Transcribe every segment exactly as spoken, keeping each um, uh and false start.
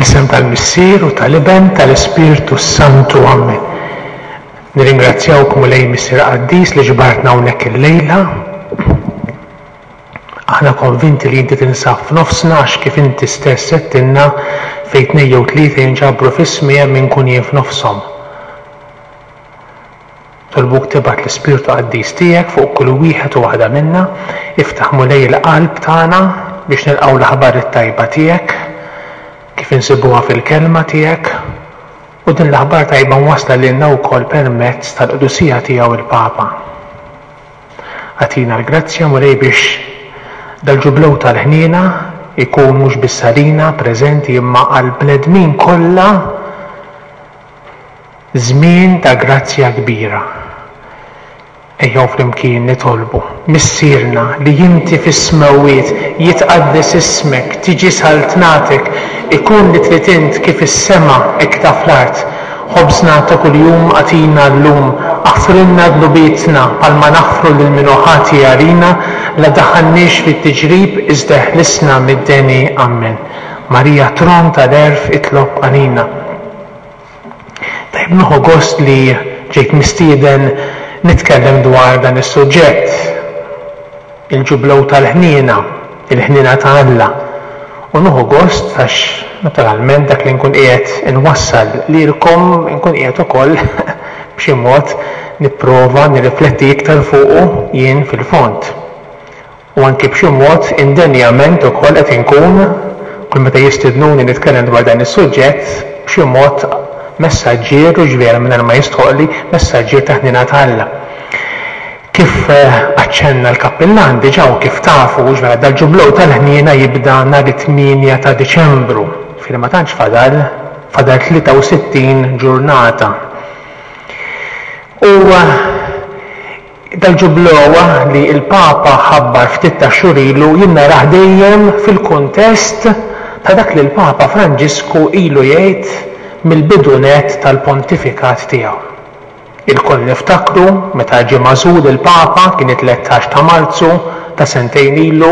Fl-isem tal-Missier u tal-Iben tal-Ispirtu Santu. Amen. Nirringrazzjawk Mulej Missier Qaddis li ġbartna hawnhekk illejla. Aħna konvinti li inti tinsab f'nofsna għax kif inti stess għedtilna fejn tnejn jew tlieta jinġabru f'ismi hemm inkun jien f'nofshom. Nitolbuk tibgħat l-Ispirtu Qaddis tiegħek fuq kull wieħed u waħda minna, iftaħ Mulej il-qalb tagħna biex nilqgħu l-aħbar it-tajba tiegħek kif insibuha fil-kelma tiegħek u din l-aħbar tajba mwassla lilna wkoll permezz tal-qdusija tiegħu il-Papa. Agħtina l-grazzja Mulej biex dal-ġublew tal-ħniena ikun mhux biss għalina preżenti imma għall-bnedmin kollha żmien ta' grazzja kbira. Ejjew flimkien nitolbu. Missierna li inti fis-smewwiet, jitqaddes ismek, tiġi saltnatek, ikun li trid int kif fis-sema hekk ta' fl-art. Ħobżna ta' kuljum agħtina llum, aħfrilna dnubietna bħalma naħfru lil min hu ħati għalina, la ddaħħalniex fit-tiġrib iżda eħlisna mid-deni. Amen. Marija tron tal-għerf itlob għalina. Tajb nieħu gost li ġejt mistieden nitkellem dwar dan is-suġġett, il-ġublew tal-ħniena, il-ħniena ta' Alla. U nieħu gost għax naturalment dak li nkun qiegħed inwassal lilkom nkun qiegħed ukoll b'xi mod nipprova nirrifletti iktar fuqu jien fil-fond. U anki b'xi mod indenjament ukoll qed inkun kull meta jistidnuni nitkellem dwar dan is-suġġett b'xi mod messaġġier u ġvera mingħajr ma jistħoqli messaġġier ta' ħniena ta' Alla. Kif aċċenna l-kappillan diġà u kif tafu ġvera dal-ġublew tal-ħniena jibda nhar it-tmienja ta' Diċembru, fil ma tantx fadal, fadal tlieta u sittin ġurnata. U dal-ġublew li l-Papa ħabbar ftit ta' xhur ilu jien narah dejjem fil-kuntest ta' dak li l-Papa Franġisku ilu jgħid mill-bidu nett tal-pontifikat tiegħu. Ilkoll niftakru meta ġie magħżul il-Papa kien it-tlettax ta' Marzu ta' sentejn ilu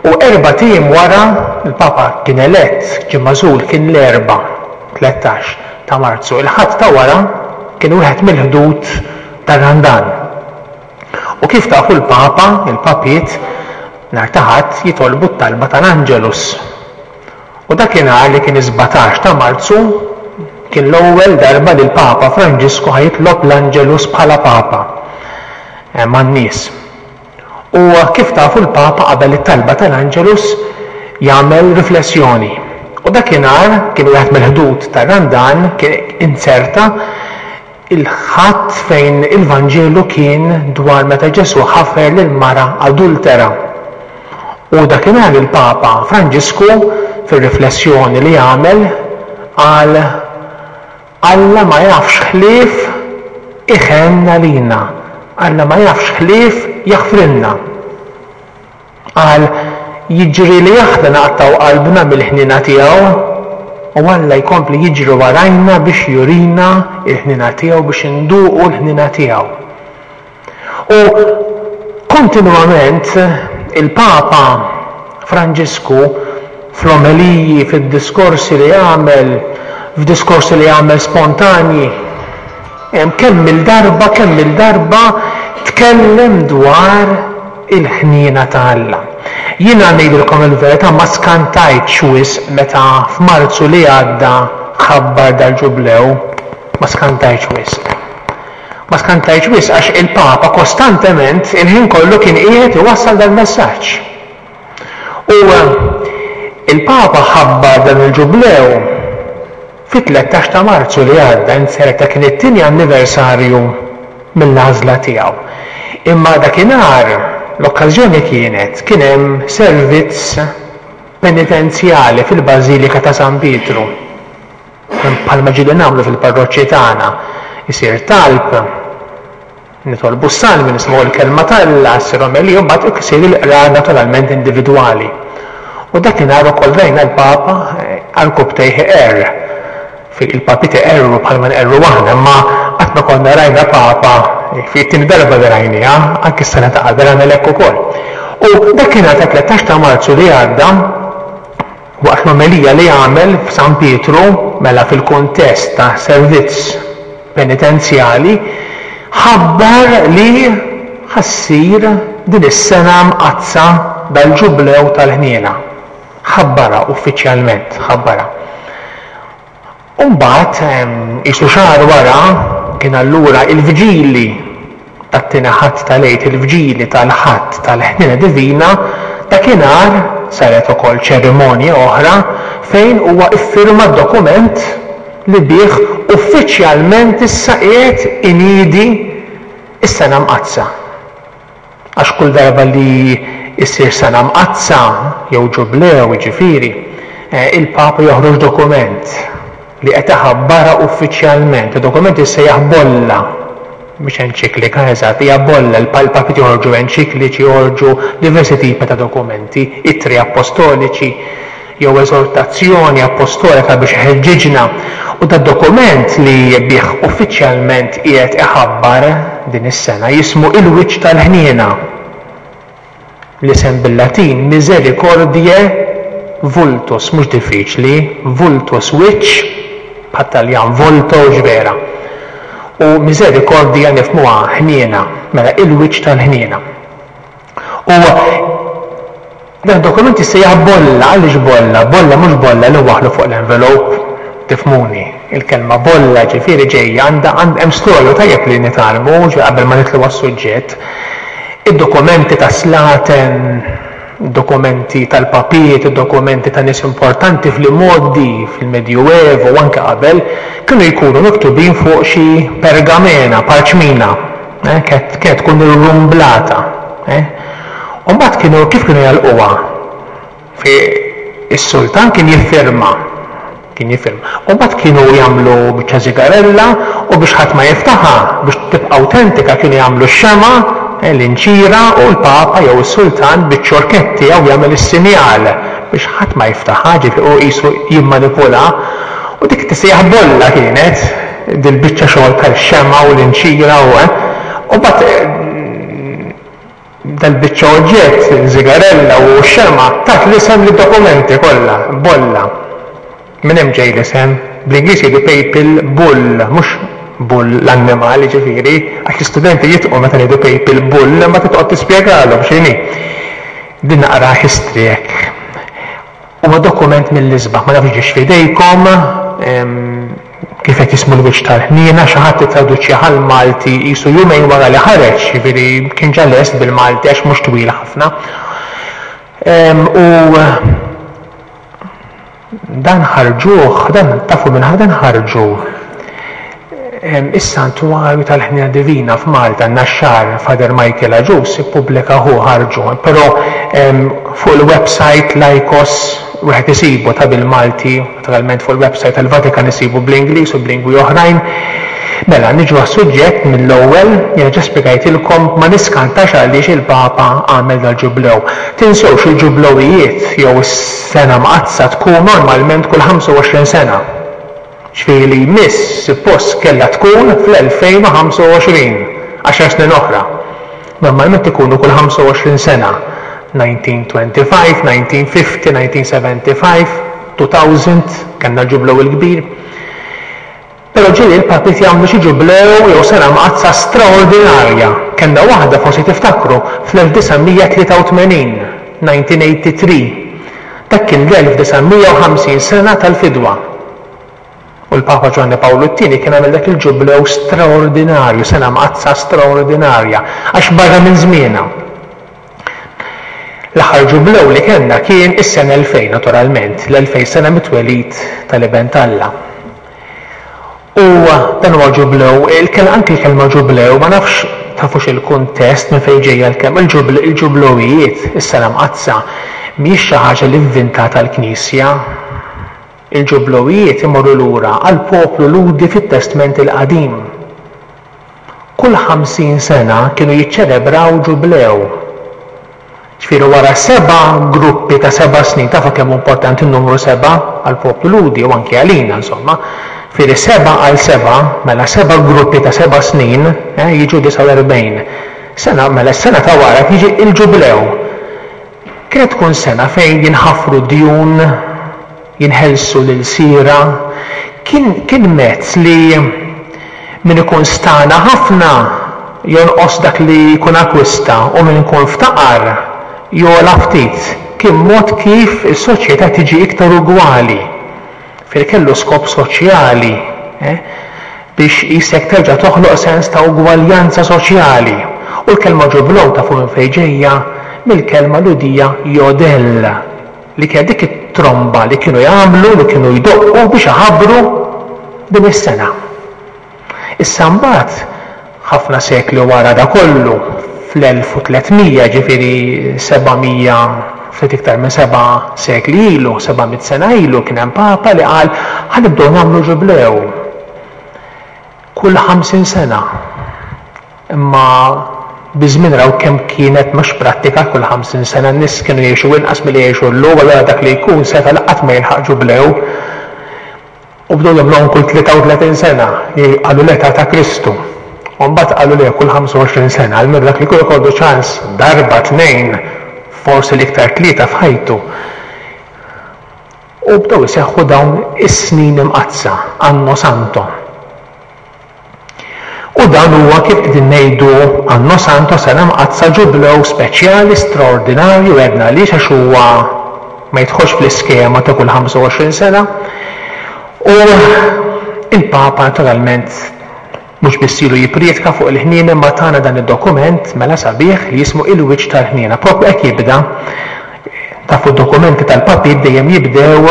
u erbat ijiem wara il-Papa kien elett, ġie magħżul kien l-erba' tlettax ta' Marzu. Il-Ħadd ta' wara kien wieħed mill-ħdud tar-Randan. U kif tafu l-Papa, il-Papiet, nhar ta' Ħadd jitolbu t-talba tal-Angelus. U dakinhar li kien is-sbatax ta' Marzu kien l-ewwel darba li l-Papa Franġisku ħa jitlob l-Angelus bħala Papa man-nies. U kif tafu l-Papa qabel it-talba tal-Angelus jagħmel riflessjoni. U dakinhar kien wieħed mill-ħdud tar-Randan kien inserta il-ħadd fejn il-Vanġelu kien dwar meta Ġesù ħafer lil mara adultera. U dakinhar il-Papa Franġisku fir-riflessjoni li għamel qal Alla ma jafx ħlief iħenn għalina, Alla ma jafx ħlief jaħfrilna. Qal jiġri li aħna naqtaw qalbna mill-ħniena tiegħu u Alla jkompli jiġri warajna biex jurina l-ħniena tiegħu, biex induqu l-ħniena tiegħu. U kontinwament il-Papa Franġisku fl-omeliji, fid-diskorsi li għamel, f'diskorsi li għamel spontanji, hemm kemm il-darba, kemm il-darba tkellem dwar il-ħniena ta' Alla. Jiena ngħidilkom il-verità ma skantajtx wisq meta f'Marzu li għadda ħabbar dal-ġublew, ma skantajtx wisq. Ma skantajtx wisq għax il-Papa kostantement il-ħin kollu kien qiegħed iwassal dal-messaġġ. U il-Papa ħabbar dan il-ġublew fit-tlettax ta' Marzu li għadda, inserta kien it-tieni anniversarju mill-għażla tiegħu. Imma dakinhar l-okkażjoni kienet kien hemm servizz penitenzjali fil-Bażilika ta' San Pietru. Bħalma ġieli nagħmlu fil-parroċċi tagħna, isir talb, nitolbu s-salmi, nisimgħu l-kelma t'Alla, ssir omelija, u mbagħad isir il-qrar naturalment individwali. U dakinhar ukoll rajna l-Papa għarkupptejh iqerr. Il-papi iqerru bħalma nqerru aħna, imma qatt ma konna rajna Papa fi t-tieni darba li rajniha, anke s-sena ta' qabel għamel hekk ukoll. U dakinhar ta' tlettax ta' Marzu li għadda, Waqt l-omelija li għamel f'San Pietru, mela fil-kuntest ta' servizz penitenzjali, ħabbar li ħa ssir din is-sena mqaddsa dal-Ġublew tal-Ħniena. Ħabbarha uffiċjalment, ħabbarha. U mbagħad qisu xahar wara kien allura il-vġili tat-tieni Ħadd tal-Għid, il-vġili tal-Ħadd tal-Ħniena Divina, dakinhar saret ukoll ċerimonja oħra fejn huwa iffirma d-dokument li bih uffiċjalment issa qiegħed iniedi s-Sena Mqaddsa. Għax kull darba li issir Sena Mqaddsa jew Ġublew, jiġifieri, il-Papa joħroġ dokument li qed iħabbarha uffiċjalment. Id-dokument jissejjaħ bolla, mhix enċiklika eżatt, hija bolla. Il-papiet joħorġu enċikliċi, joħorġu diversi tipi ta' dokumenti, ittri appostoliċi jew eżortazzjoni appostolika biex iħeġġiġna. U dad-dokument li bih uffiċjalment qiegħed iħabbar din is-sena jismu Il-Wiċċ tal-Ħniena. L-isem bil-Latin Misericordiae Vultus, mhux diffiċli, vultus wiċċ, bħat-Taljan volto x'vera. U misericordia nifhmuha ħniena, mela il-wiċċ tal-ħniena. U dan dokument jissejjaħ bolla, għaliex bolla? Bolla mhux bolla li waħlu fuq l-envelope, tifhmuni. Il-kelma bolla ġifieri ġejja għandha hemm storja tajjeb li nitgħallmu qabel ma nidħlu għas-suġġett. Id-dokumenti ta' slaten, dokumenti tal-papiet, dokumenti ta' nies importanti fl-imgħoddi, fil-Medjuevo u anke qabel, kienu jkunu miktubin fuq xi pergamena, parċmina, eh, kienet tkun irrumblata. Eh. U mbagħad kienu kif kienu jagħlquha? Fi is-sultan kien jiffirma kien jiffirma. U mbagħad kienu jagħmlu biċċa żigarella u biex ħadd ma jiftaħha, biex tibqa' awtentika kienu jagħmlu x-xemgħa, l-inċira u l-Papa jew is-Sultan biċ-ċorkett tiegħu jagħmel is-sinjal biex ħadd ma jiftaħha, ġifieri hu qisu jimmanipula. U dik tissejjaħ bolla kienet, dil-biċċa xogħol tal-xemgħa u l-inċira u u mbagħad dal-biċċa oġġett, żigarella u x-xemgħa, tat l-isem lid-dokumenti kollha, bolla. Minn hemm ġej l-isem, bl-Ingliż jgħidu papal bull, mhux bull l-annimal ġifieri, għax l-istudenti jitqu meta ngħidu papal bull, ma titqgħod tispjegalhom x'inhi. Din naqra history hekk. Huwa dokument mill-isbaħ, ma nafx ġiex f'idejkom, kif qed jismu l-wiċċ tal-ħniena, xi ħadd ittraduċih għall-Malti qisu jumejn wara li ħareġ, jiġifieri kien ġa lest bil-Malti għax mhux twil ħafna. U dan ħarġuh, dan tafu minn dan ħarġu is-Santwarju tal-Ħniena Divina f'Malta, Naxxar, Father Michael Agius ippubblika hu ħarġu, però fuq il-website Laikos wieħed isibu ta' bil-Malti, naturalment fuq il-website tal-Vatikan isibu bl-Ingliż u b'lingwi oħrajn. Mela, niġu għas-suġġett mill-ewwel, jiena ġa spjegajtilkom ma niskantax għaliex il-Papa għamel dal-ġublew. Tinsewx il-ġublewijiet jew is-sena mqaddsa tkun normalment kull ħamsa u għoxrin sena. Ġifieri li jmiss suppost kellha tkun fl-elfejn u ħamsa u għoxrin, għaxar snin oħra. Normalment ikunu kull ħamsa u għoxrin sena. nineteen twenty-five, nineteen fifty, nineteen seventy-five, two thousand, kellna l-ġublew il-kbir. Però ġieli l-papiet jagħmlu xi ġublew jew sena mqaddsa straordinarja. Kellna waħda forsi tiftakru fl-elf disa' mija tlieta u tmenin, nineteen eighty-three. Dak kien l-elf disa' mija u ħamsin sena tal-fidwa. U l-Papa Ġwanni Pawlu t-tieni kien għamel dak il-ġublew straordinarju, sena mqaddsa straordinarja, għax barra minn żmienha. L-aħħar ġublew li kellna kien is-sena elfejn, naturalment, l-elfejn sena mit-twelid tal-Iben t'Alla. U dan huwa ġublew, il-kel-, anki l-kelma ġublew, ma nafx tafux il-kuntest minn fejn ġejja l-kelma, il-ġubl-, il-ġublewijiet, is-sena mqaddsa, mhijiex xi ħaġa li vvintata l-Knisja. Il-ġublewijiet imorru lura għall-poplu Lhudi fit-Testment il-Qadim. Kull ħamsin sena kienu jiċċelebraw ġublew. Ġifieri wara seba' gruppi ta' seba' snin, tafu kemm hu importanti n-numru seba' għall-poplu Lhudi u anke għalina, insomma. Ġifieri seba' għal seba', mela seba' gruppi ta' seba' snin, eh, jiġu disgħa u erbgħin. Sena, mela s-sena ta' wara jiġi il-ġublew. Kienet tkun sena fejn jinħafru djun, jinħelsu l-ilsiera. Kien, kien mezz li min ikun stana ħafna jonqos dak li jkun akwista u min ikun ftaqar jogħla ftit. Kien mod kif is-soċjetà tiġi iktar ugwali. Fil kellu skop soċjali, eh? biex jisek terġa' toħloq sens ta' ugwaljanza soċjali. U l-kelma ġublew tafu minn fejn ġejja? Mill-kelma Lhudija jodel, li kienet dik it-tromba li kienu jagħmlu, li kienu jdoqqu biex iħabbru din is-sena. Issa mbagħad, ħafna sekli wara da kollu, fl-elf u tliet mija, ġifieri seba' mija, ftit iktar minn seba' sekli ilu, seba' mitt sena ilu, kien hemm papa li qal ħa nibdew nagħmlu ġublew kull ħamsin sena. Imma biż-żmien raw kemm kienet mhux prattika kull ħamsin sena, n-nies kienu jgħixu inqas milli jgħixu llum, allura dak li jkun seta' laqat ma jilħaq ġublew. U bdew jagħmluhom kull tlieta u tletin sena, li qalu l-età ta' Kristu. U mbagħad qalu le kull ħamsa u għoxrin sena, almenu dak li jkun ikollu ċans darba, tnejn, forsi l-iktar tlieta f'ħajtu. U bdew iseħħu dawn is-snin imqaddsa, Anno Santo. U dan huwa kif qegħdin ngħidu Anno Santo, sena mqaddsa, ġublew speċjali, straordinarju, għedna għaliex, għax huwa ma jidħolx fl-iskema ta' kull ħamsa u għoxrin sena. U il-Papa naturalment mhux biss ilu jipprietka fuq il-ħniena, imma tana dan id-dokument mela sabiħ li jismu Il-Wiċċ tal-Ħniena. Propju hekk jibda. Tafu d-dokumenti tal-papiet dejjem jibdew,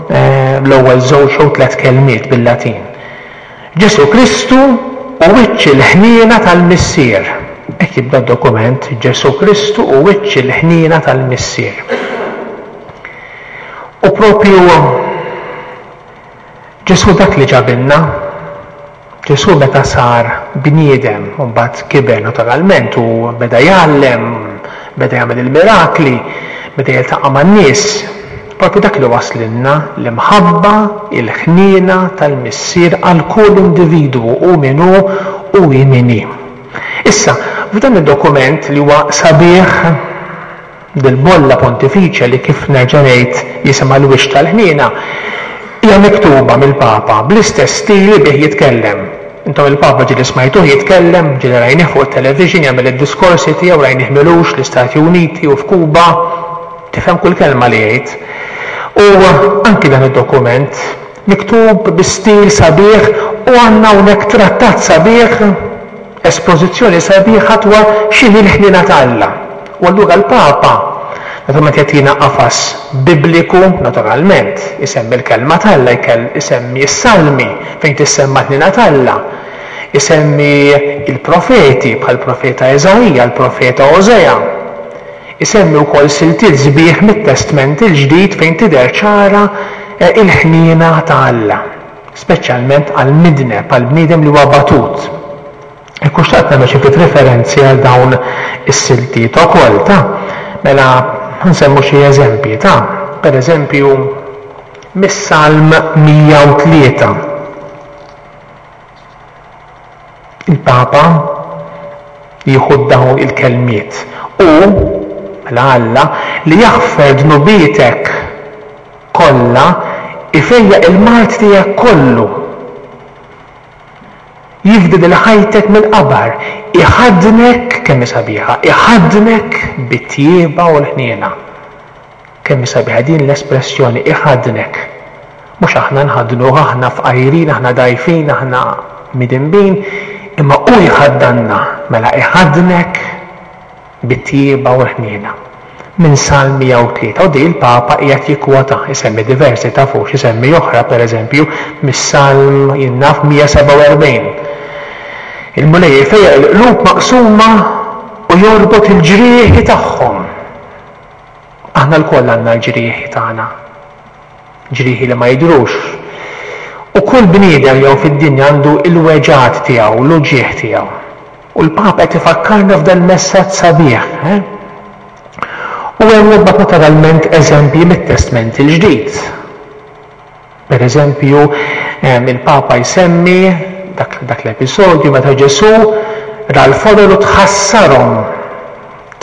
eh, l-ewwel żewġ jew tliet kelmiet bil-Latin. Ġesu Kristu u wiċċ il-ħniena tal-Missier. Hekk jibda d-dokument, Ġesu Kristu u wiċċ il-ħniena tal-Missier. U propju Ġesu dak li ġabilna, Ġesu meta sar bniedem, u mbagħad kiber naturalment u beda jgħallem, beda jagħmel il-mirakli, beda jiltaqa' man-nies, propju dak li waslilna l-imħabba, il-ħniena tal-Missier għal kull individwu, u min hu u hi min hi. Issa, f'dan id-dokument li huwa sabiħ dil-bolla pontifiċja li kif nerġa' ngħid jisimha l-wiċċ tal-ħniena, hija miktuba mill-Papa bl-istess stil li bih jitkellem. Intom il-Papa ġieli smajtuh jitkellem, ġieli rajnih fuq it-television jagħmel id-diskorsi tiegħu, rajnih milux l-Istati Uniti u f'Kuba, tifhem kull kelma li jgħid. U anki dan id-dokument miktub bi stil sabiħ u għandna hawnhekk trattat sabiħ, espożizzjoni sabiħa dwar x'inhi l-ħniena ta' Alla. U allura l-Papa naturalment jagħtina qafas bibliku, naturalment, isemmi l-kelma t'Alla, jkell-, isemmi s-salmi fejn tissemma l-ħniena t'Alla, isemmi il-profeti bħal profeta Eżaija, l-profeta Osea, isemmi wkoll siltiet sbieħ mit-Testment il-Ġdid fejn tidher ċara, eh, il-ħniena ta' Alla, speċjalment għall-midneb, għall-bniedem li huwa batut. Ekku xtaqt nagħmel xi ftit referenzi għal dawn is-siltiet ukoll, ta' mela nsemmu xi eżempji, ta' per eżempju mis-Salm mija u tlieta. Il-Papa jieħu dawn il-kelmiet u mela Alla li jaħfer dnubietek kollha ifejjaq il-mard tiegħek kollu. Jifdi lil ħajtek mill-qabar, iħaddnek, kemm hi sabiħa, iħaddnek bit-tjieba u l-ħniena. Kemm hi sabiħa din l-espressjoni, iħaddnek. Mhux aħna nħaddnuh, aħna fqajrin, aħna dgħajfin, aħna midinbin, imma hu jħaddanna, mela iħaddnek bit-tjieba u l-ħniena. Minn Salm mija u tlieta, u di l-Papa qiegħed jikkwota, isemmi diversi tafux, isemmi oħra pereżempju mis-Salm jinnaf mija sebgħa u erbgħin. Il-Mulej jfejjaq il-qlub maqsuma u jorbot il-ġrieħi tagħhom. Aħna lkoll għandna l-ġrieħi tagħna, ġrieħi li ma jidhrux. U kull bniedem jew fid-dinja għandu il-weġgħat tiegħu, l-uġigħ tiegħu. U l-Papa qed ifakkarna f'dan il-messaġġ sabiħ, eh? U hemm imbagħad naturalment eżempji mit-Testment il-Ġdid. Per eżempju, ehm, il-Papa jsemmi dak, dak l-episodju meta Ġesù ra l-folol u tħassarhom,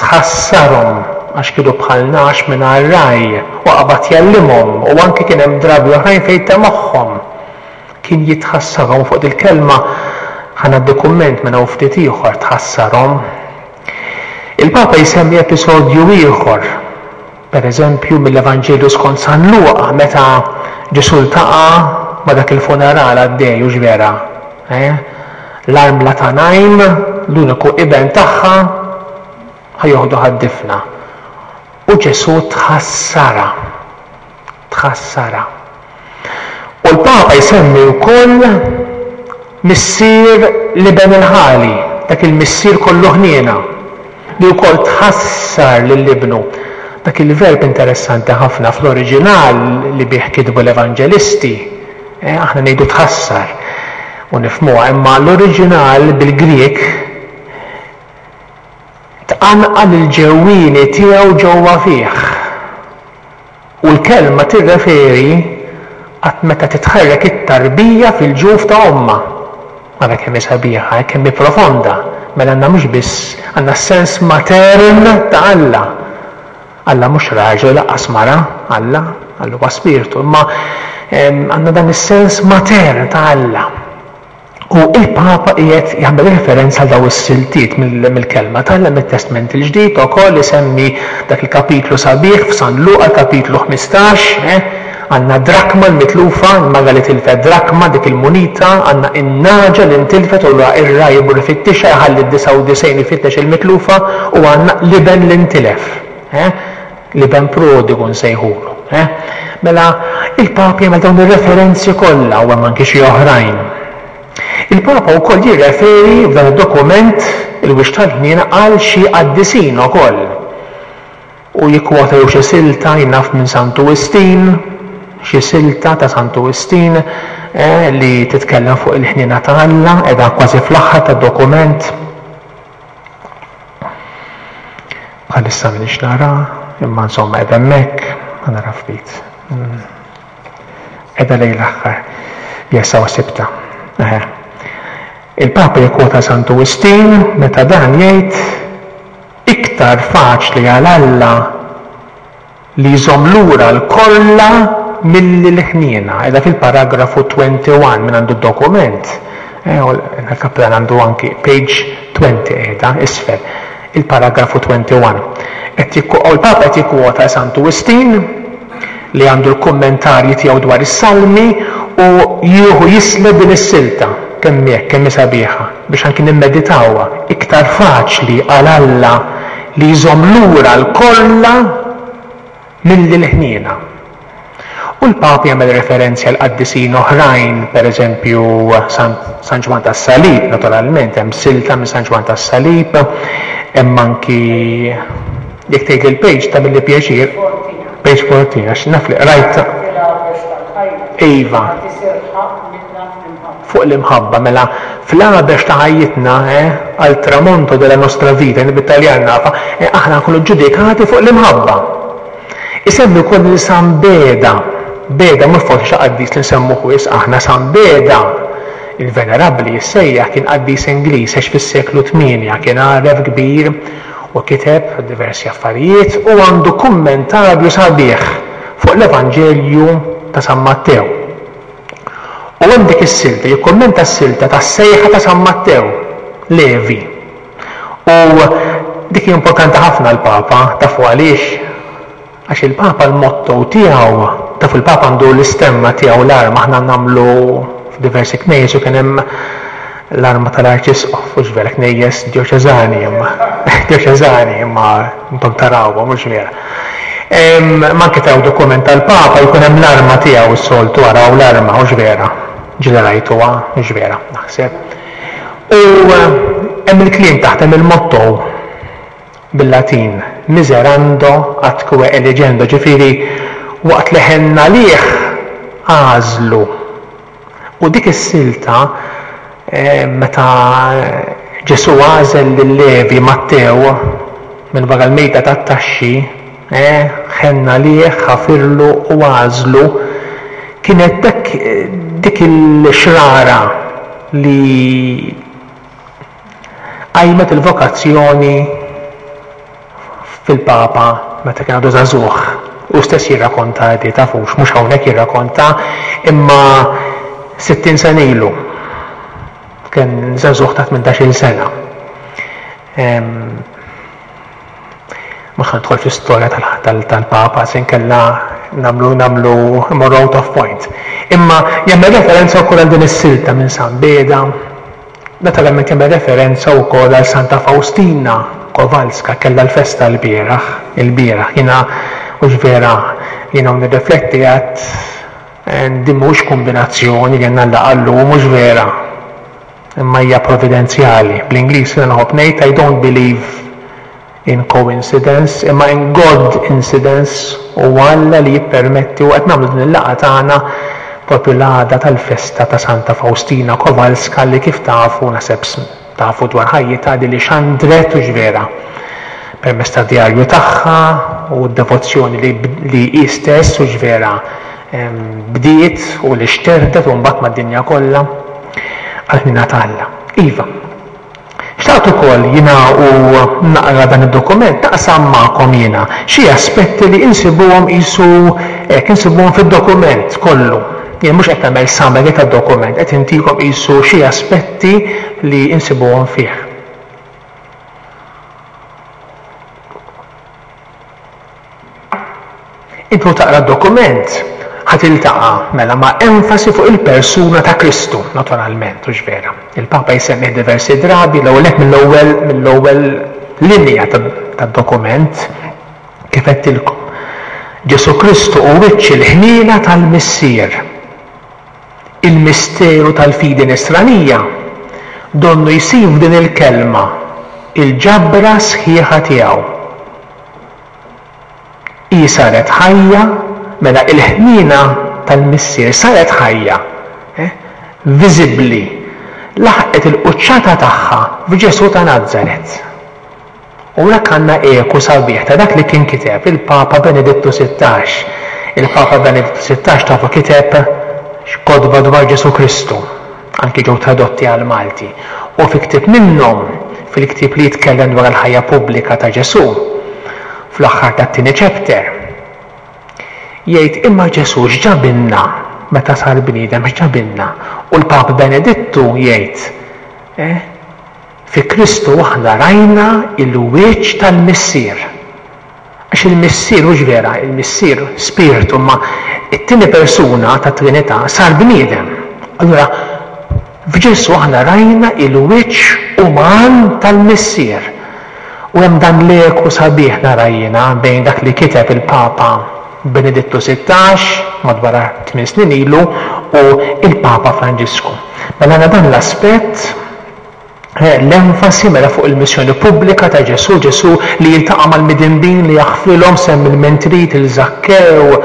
tħassarhom għax kienu bħal nagħaġ mingħajr ragħaj, u qabad jgħallimhom, u anki kien hemm drabi oħrajn fejn temagħhom. Kien jitħassarhom. Fuq il-kelma ħa nagħti kumment minn hawn ftit ieħor, tħassarhom. Il-Papa jsemmi episodju ieħor, per eżempju mill-Evanġelju skont San Luqa, meta Ġesù ltaqa' ma' dak il-funeral għaddej, hux vera? Eh? L-armla ta' Najm, l-uniku iben tagħha, ħa joħdu għad-difna. U Ġesù tħassara. Tħassara. U l-Papa jsemmi wkoll missier l-iben il-ħali, dak il-missier kollu ħniena, li wkoll tħassar lil ibnu. Dak il-verb interessanti ħafna fl-oriġinal li bih kitbu l-evanġelisti, eh, aħna ngħidu tħassar u nifhmuha, imma l-oriġinal bil-Grieg tqanqal il-ġewwieni tiegħu ġewwa fih. U l-kelma tirreferi għat meta titħarrek it-tarbija fil-ġuf ta' omma. Ara kemm hi sabiħa, kemm hi profonda. Mela għandna mhux biss għandna sens matern ta' Alla. Alla mhux raġel lanqas mara, Alla, Alla huwa spiritu, imma għandna dan is-sens matern ta' Alla. U il-Papa qiegħed jagħmel referenza għal daw is-siltiet mill-kelma t'Alla mit-Testment il-Ġdid ukoll, isemmi dak il-kapitlu sabiħ f'San Luqa, kapitlu ħmistax, eh? Għandna drakma l-mitlufa, il-mara li tilfet drakma, dik il-munita, għandna in-nagħġa li ntilfet u ir-ragħaj imur ifittixha, jħalli d-disgħa u disgħin ifittex il-mitlufa, u għandna l-iben li ntilef, eh? L-iben prodigu nsejħulu. Eh? Mela il-Papa jagħmel dawn ir-referenzi kollha u hemm anki xi oħrajn. Il-Papa wkoll jirreferi f'dan id-dokument il-Wiċċ tal-Ħniena għal xi qaddisin ukoll. U jikkwota jew xi silta jnaf minn Santu Wistin, xi silta ta' Santu Wistin, eh, li titkellem fuq il-ħniena ta' Alla, qiegħda kważi fl-aħħar tad-dokument. Bħalissa m'iniex nara, imma insomma qiegħda hemmhekk, ma nara ftit. Qiegħda lejn l-aħħar. Jessa u sibta. Eħe. Il-Papa jikkwota Santu Wistin meta dan jgħid iktar faċli għal Alla li jżomm lura l-kolla milli l-ħniena. Qiegħda fil-paragrafu twenty-one minn għandu d-dokument. Eh, u l-kaplan għandu anki page twenty qiegħda isfel. Il-paragrafu twenty-one. Qed jikku-, u l-Papa qed jikkwota Santu Wistin li għandu l-kummentarji tiegħu dwar is-Salmi u jieħu jisleb din is-silta kemm hekk, kemm hi sabiħa, biex anki nimmeditawha. Iktar faċli għal Alla li jżomm lura l-kolla milli l-ħniena. U l-Papa jagħmel referenzi għal qaddisin oħrajn, per eżempju San, San Ġwann tas-Salib, naturalment, hemm silta minn San Ġwann tas-Salib, hemm anki jekk tgħid il-page tagħmilli pjaċir, page fourteen, għax naf li qrajt. Iva. Fuq l-imħabba, mela fl-għabex ta' ħajjitna, eh, al tramonto della nostra vita, jien bit-Taljan nafa, eh, aħna nkunu ġudikati fuq l-imħabba. Isemmi wkoll lil San Beda. Beda mhux forsi xi qaddis li nsemmuh wisq aħna, San Beda, il-Venerabbli jissejjaħ, kien qaddis Ingliż, għex fis-seklu tmienja, kien għaref kbir u kiteb diversi affarijiet u għandu kummentarju sabiħ fuq l-Evanġelju ta' San Mattew. U hemm dik is-silta, jikkummenta s-silta tas-sejħa ta' San Mattew, Levi. U dik hi importanti ħafna l-Papa, tafu għaliex? Għax il-Papa l-motto tiegħu, tafu l-Papa għandu l-istemma tiegħu, l-arma, aħna nagħmlu f'diversi knejjes u kien hemm l-arma tal-Arċisqof, mhux vera knejjes djoċeżani, imma djoċeżani, imma intom tarawha, mhux vera. Em, ma anke taraw dokument tal-Papa jkun hemm l-arma tiegħu s-soltu, araw l-arma, mhux vera. Ġieli rajtuha, mhux vera, naħseb. U hemm il-kliem taħt, hemm il-motto bil-Latin, miserando atque eligendo, ġifieri waqt li ħenna lih għażlu. U dik is-silta, eh, meta Ġesù għażel lil Levi Mattew minn wara l-mejda tat-taxxi, eh, ħenna lih, ħafirlu u għażlu, kienet dak, dik il-xrara li qajmet il-vokazzjoni fil-Papa meta kien għadu żagħżugħ. Hu stess jirrakonta di, tafux, mhux hawnhekk jirrakonta, imma sittin sena ilu kien żagħżugħ ta' tmintax-il sena. Mhux ħa nidħol fl-istorja tal-Papa, se nkella nagħmlu nagħmlu immorru out of point. Imma jagħmel referenza wkoll għal din is-silta minn San Beda. Naturalment jagħmel referenza wkoll għal Santa Faustina Kowalska, kellha l-festa l-bieraħ, il-bieraħ. Jiena hux vera jiena nirrifletti għad din mhux kombinazzjoni li għandna laqgħa llum, mhux vera. Imma hija providenzjali. Bl-Ingliż jiena nħobb ngħid I don't believe in coincidence, imma in God incidence, u Alla li jippermetti u qed nagħmlu din il-laqgħa tagħna propju l-għada tal-festa ta' Santa Faustina Kowalska li kif tafu, naħseb tafu dwar ħajjitha, di li xandret u vera permezz ta' djarju tagħha u d-devozzjoni li, li hi stess u vera bdiet u li xterdet u mbagħad mad-dinja kollha għall-ħniena ta' Alla. Iva. Xtaqt ukoll jiena u naqra dan id-dokument naqsam magħkom jiena xi aspetti li insibuhom qisu hekk insibuhom fid-dokument kollu. Jien mhux qed nagħmel summary tad-dokument, qed intikom qisu xi aspetti li insibuhom fih. Intu taqra d-dokument ħa tiltaqa' mela ma' enfasi fuq il-persuna ta' Kristu, naturalment, hux vera. Il-Papa jsemmih diversi drabi, l-ewwel nett mill-ewwel mill-ewwel linja tad-dokument kif għedtilkom. Ġesù Kristu hu wiċċ il-ħniena tal-Missier. Il-misteru tal-fidi nisranija donnu jsir f'din il-kelma il-ġabra sħiħa tiegħu. Hi saret ħajja, mela il-ħniena tal-Missier saret ħajja, eh, viżibbli, laħqet il-quċċata tagħha f'Ġesù ta' Nazaret. U hekk għandna eku sabiħ ta' dak li kien kiteb il-Papa Benedittu sittax. Il-Papa Benedittu sittax tafu kiteb kotba dwar Ġesù Kristu, anki ġew tradotti għal Malti. U fi ktieb minnhom, fil-ktieb li jitkellem dwar il-ħajja pubblika ta' Ġesù, fl-aħħar tat-tieni chapter, jgħid imma Ġesù x'ġabilna meta sar bniedem, x'ġabilna? U l-Papa Benedittu jgħid, eh, fi Kristu aħna rajna il-wiċċ tal-Missier. Għax il-Missier hux vera, il-Missier spiritu, ma it-tieni persuna ta' Trinità sar bniedem. Allura f'Ġesù aħna rajna il-wiċċ uman tal-Missier. U hemm dan l-eku sabiħ nara jiena bejn dak li kiteb il-Papa Benedittu sittax madwar tmien snin ilu u il-Papa Franġisku. Mela għandna dan l-aspett, l-enfasi mela fuq il-missjoni pubblika ta' Ġesù, Ġesù li jiltaqa' mal-midinbin li jaħfrilhom, semmi l-mentrit, il-Żakkew,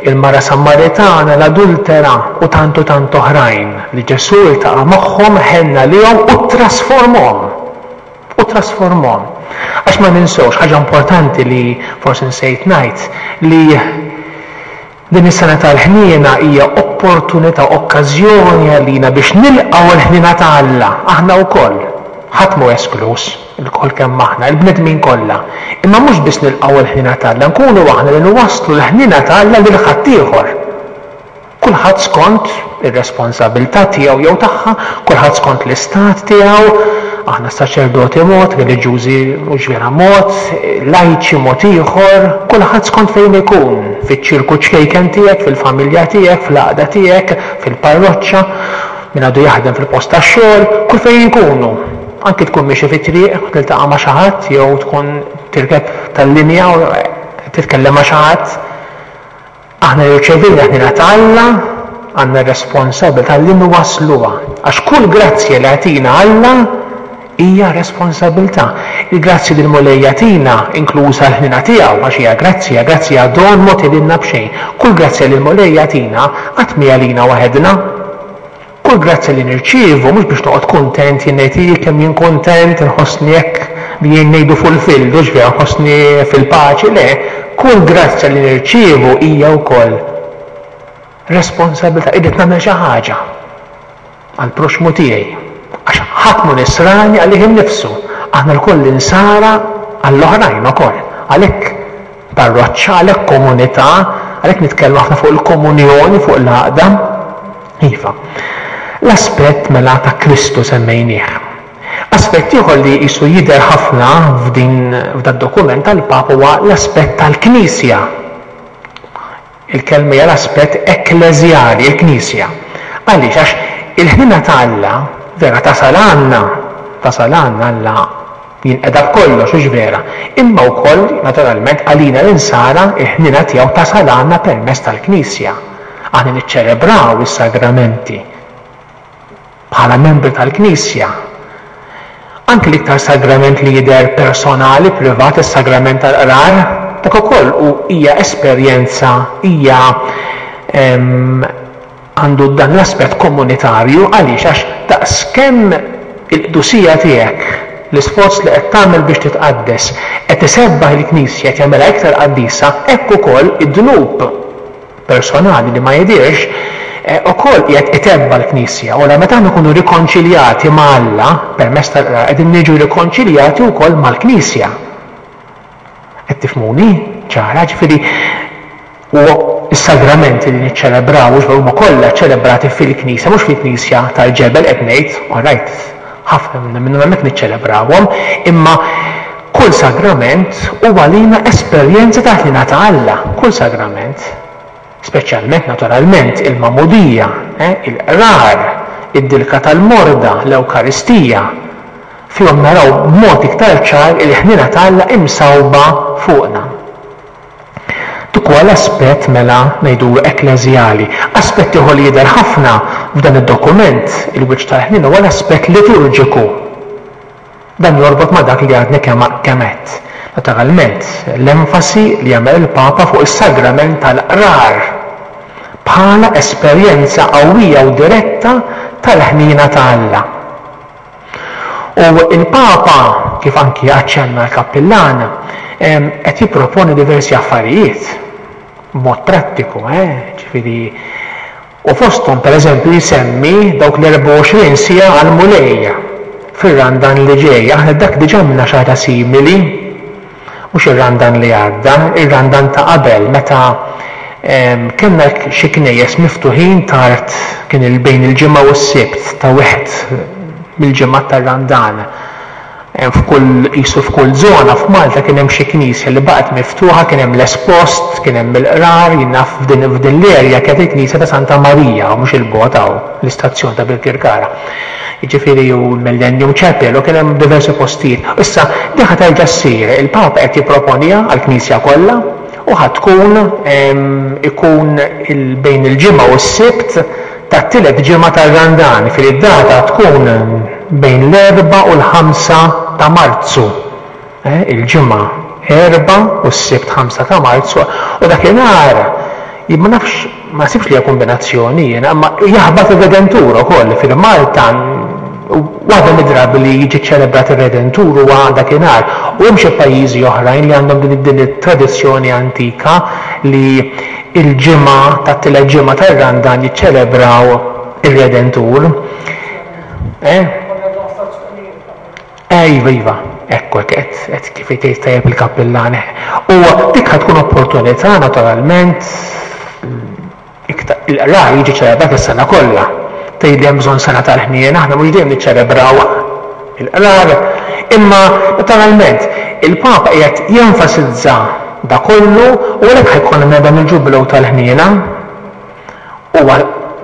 il-mara Sammaritana, l-adultera u tant u tant oħrajn li Ġesù iltaqa' magħhom, ħenna lihom u trasformhom. U trasformhom. Għax ma ninsewx ħaġa importanti li forsi nsejt ngħid, li din is-sena tal-ħniena hija opportunità, okkażjoni għalina biex nilqgħu l-ħniena ta' Alla, aħna wkoll. Ħadd mhu esklus, ilkoll kemm aħna, il-bnedmin kollha. Imma mhux biss nilqgħu l-ħniena ta' Alla, nkunu aħna li nwasslu l-ħniena ta' Alla lil ħaddieħor. Kulħadd skont ir-responsabilità tiegħu jew tagħha, kulħadd skont l-istat tiegħu, aħna saċerdoti mod, reliġjużi mhux vera mod, lajċi mod ieħor, kulħadd skont fejn ikun, fiċ-ċirku ċkejken tiegħek, fil-familja tiegħek, fl-għaqda tiegħek, fil-parroċċa, min għadu jaħdem fil-post tax-xogħol, kull fejn ikunu. Anki tkun miexi fit-triq u tiltaqa' ma' xi ħadd jew tkun tirkeb tal-linja u titkellem ma' xi ħadd. Aħna rċevejna ħniena ta' Alla, għandna responsabilità li nwassluha. Għax kull grazzja li jagħtina Alla hija responsabilità. Il-grazzja li l-Mulej jagħtina, inkluża l-ħniena tiegħu, għax hija grazzja, grazzja don mogħti lilna b'xejn. Kull grazzja li l-Mulej jagħtina qatt mhi għalina waħedna. Kull grazzja li nirċievu mhux biex noqgħod kuntent, jien ngħid ij kemm jien kuntent, inħossni hekk li jien ngħidu fulfilled, hux vera nħossni fil-paċi, le. Kull grazzja li nirċievu hija wkoll responsabilità, irrid nagħmel xi ħaġa għall-proxxmu tiegħi. Għax ħadd mhu nisrani għalih innifsu, aħna lkoll insara għall-oħrajn ukoll, Għalhekk parroċċa, għalhekk komunità, għalhekk nitkellmu ħafna fuq il-komunjoni, fuq l-għaqda. Iva. L-aspett mela ta' Kristu semmejnieh. Aspett ieħor li qisu jidher ħafna f'din f'dad dokument tal-Papa huwa l-aspett tal-Knisja. Il-kelma hija l-aspett ekkleżjali, il-Knisja. Għaliex? Għax il-ħniena ta' Alla vera tasal għandna, tasal għandna Alla jinqeda b'kollox, hux vera. Imma wkoll, naturalment, għalina l-insara, il-ħniena tiegħu tasal għandna permezz tal-Knisja. Aħna niċċelebraw is-sagramenti bħala membri tal-Knisja. Anki l-iktar sagrament li jidher personali, privat, is-sagrament tal-qrar, dak ukoll u hija esperjenza, hija għandu dan l-aspett komunitarju. Għaliex? Għax daqskemm il-qdusija tiegħek, l-isforz li qed tagħmel biex titqaddes, qed isebbaħ il-Knisja, qed jagħmilha iktar qaddisa, hekk ukoll id-dnub personali li ma jidhirx ukoll qiegħed itebba' l-Knisja. U meta aħna nkunu rikonċiljati ma' Alla permezz tal-qrar, qegħdin niġu rikonċiljati wkoll mal-Knisja. Qed tifhmuni? Ċara, ġifieri u s-sagramenti li niċċelebraw huma kollha ċelebrati fil-Knisja, mhux fil-Knisja tal-ġebel qed ngħid, all right, ħafna minnhom hemmhekk niċċelebrawhom, imma kull sagrament huwa lina esperjenza ta' ħniena ta' Alla, kull sagrament. Speċjalment naturalment il-magħmudija, eh, il-qrar, id-dilka tal-morda, l-Ewkaristija. Fihom naraw b'mod iktar ċar il-ħniena ta' Alla imsawba fuqna. Dik huwa l-aspett mela ngħidulu ekkleżjali. Aspett ieħor li jidher ħafna f'dan id-dokument, il-wiċċ tal-ħniena, huwa l-aspett liturġiku. Dan jorbot ma' dak li għadni kemm għedt. Naturalment, l-enfasi li jagħmel il-Papa fuq is-sagrament tal-qrar bħala esperjenza qawwija u diretta tal-ħniena ta' Alla. U il-Papa, kif anki aċċenna l-kappillan, qed jipproponi diversi affarijiet b'mod prattiku, eh? Ġifieri, u fosthom pereżempju jsemmi dawk l-erbgħa u għoxrin siegħa għall-Mulej fir-Randan li ġej. Aħna dak diġà għamilna xi ħaġa simili, mhux ir-Randan li għadda, ir-Randan ta' qabel, meta kellna xi knejjes miftuħin tard, kien il-bejn il-ġimgħa u s-Sibt ta' wieħed mill-ġimgħat tar-Randan. F'kull qisu f'kull żona f'Malta kien hemm xi knisja li baqgħet miftuħa, kien hemm l-espost, kien hemm il-qrar, jien naf f'din f'din l-erja kienet il-knisja ta' Santa Marija, u mhux il-bogħod hawn, l-istazzjon ta' Birkirkara. Jiġifieri u l-Millennium Chapel, u kien hemm diversi postijiet. Issa din ħa terġa' ssir, il-Papa qed jipproponiha għall-Knisja kollha u ħa tkun ikun bejn il-ġimgħa u s-Sibt tat-tielet ġimgħa tar-Randan, fil data tkun bejn l-erbgħa u l-ħamsa ta' Marzu. Eh, il-ġimgħa erbgħa u s-Sibt ħamsa ta' Marzu, u dakinhar jien ma nafx, ma sibx li hija kombinazzjoni jiena, imma jaħbat ir-Redentur ukoll fil-Malta. Waħda mid-drabi li jiġi ċelebrat ir-Redentur huwa dakinhar, u hemm xi pajjiżi oħrajn li għandhom din, din it-tradizzjoni antika li il-ġimgħa tat-tielet ġimgħa tar-Randan jiċċelebraw ir-Redentur. Eh? Eh, iva, iva, ekku, qed, qed kif jgħid tajjeb il-kappillan. U dik ħa tkun opportunità naturalment iktar il-qrar jiġi ċelebrat is-sena kollha. Tgħid li hemm bżonn sena tal-ħniena, aħna mhux dejjem niċċelebraw il-qrar, imma naturalment il-Papa qiegħed jenfasizza da kollu u għalhekk ħajkun dan il-ġubilew tal-ħniena. Huwa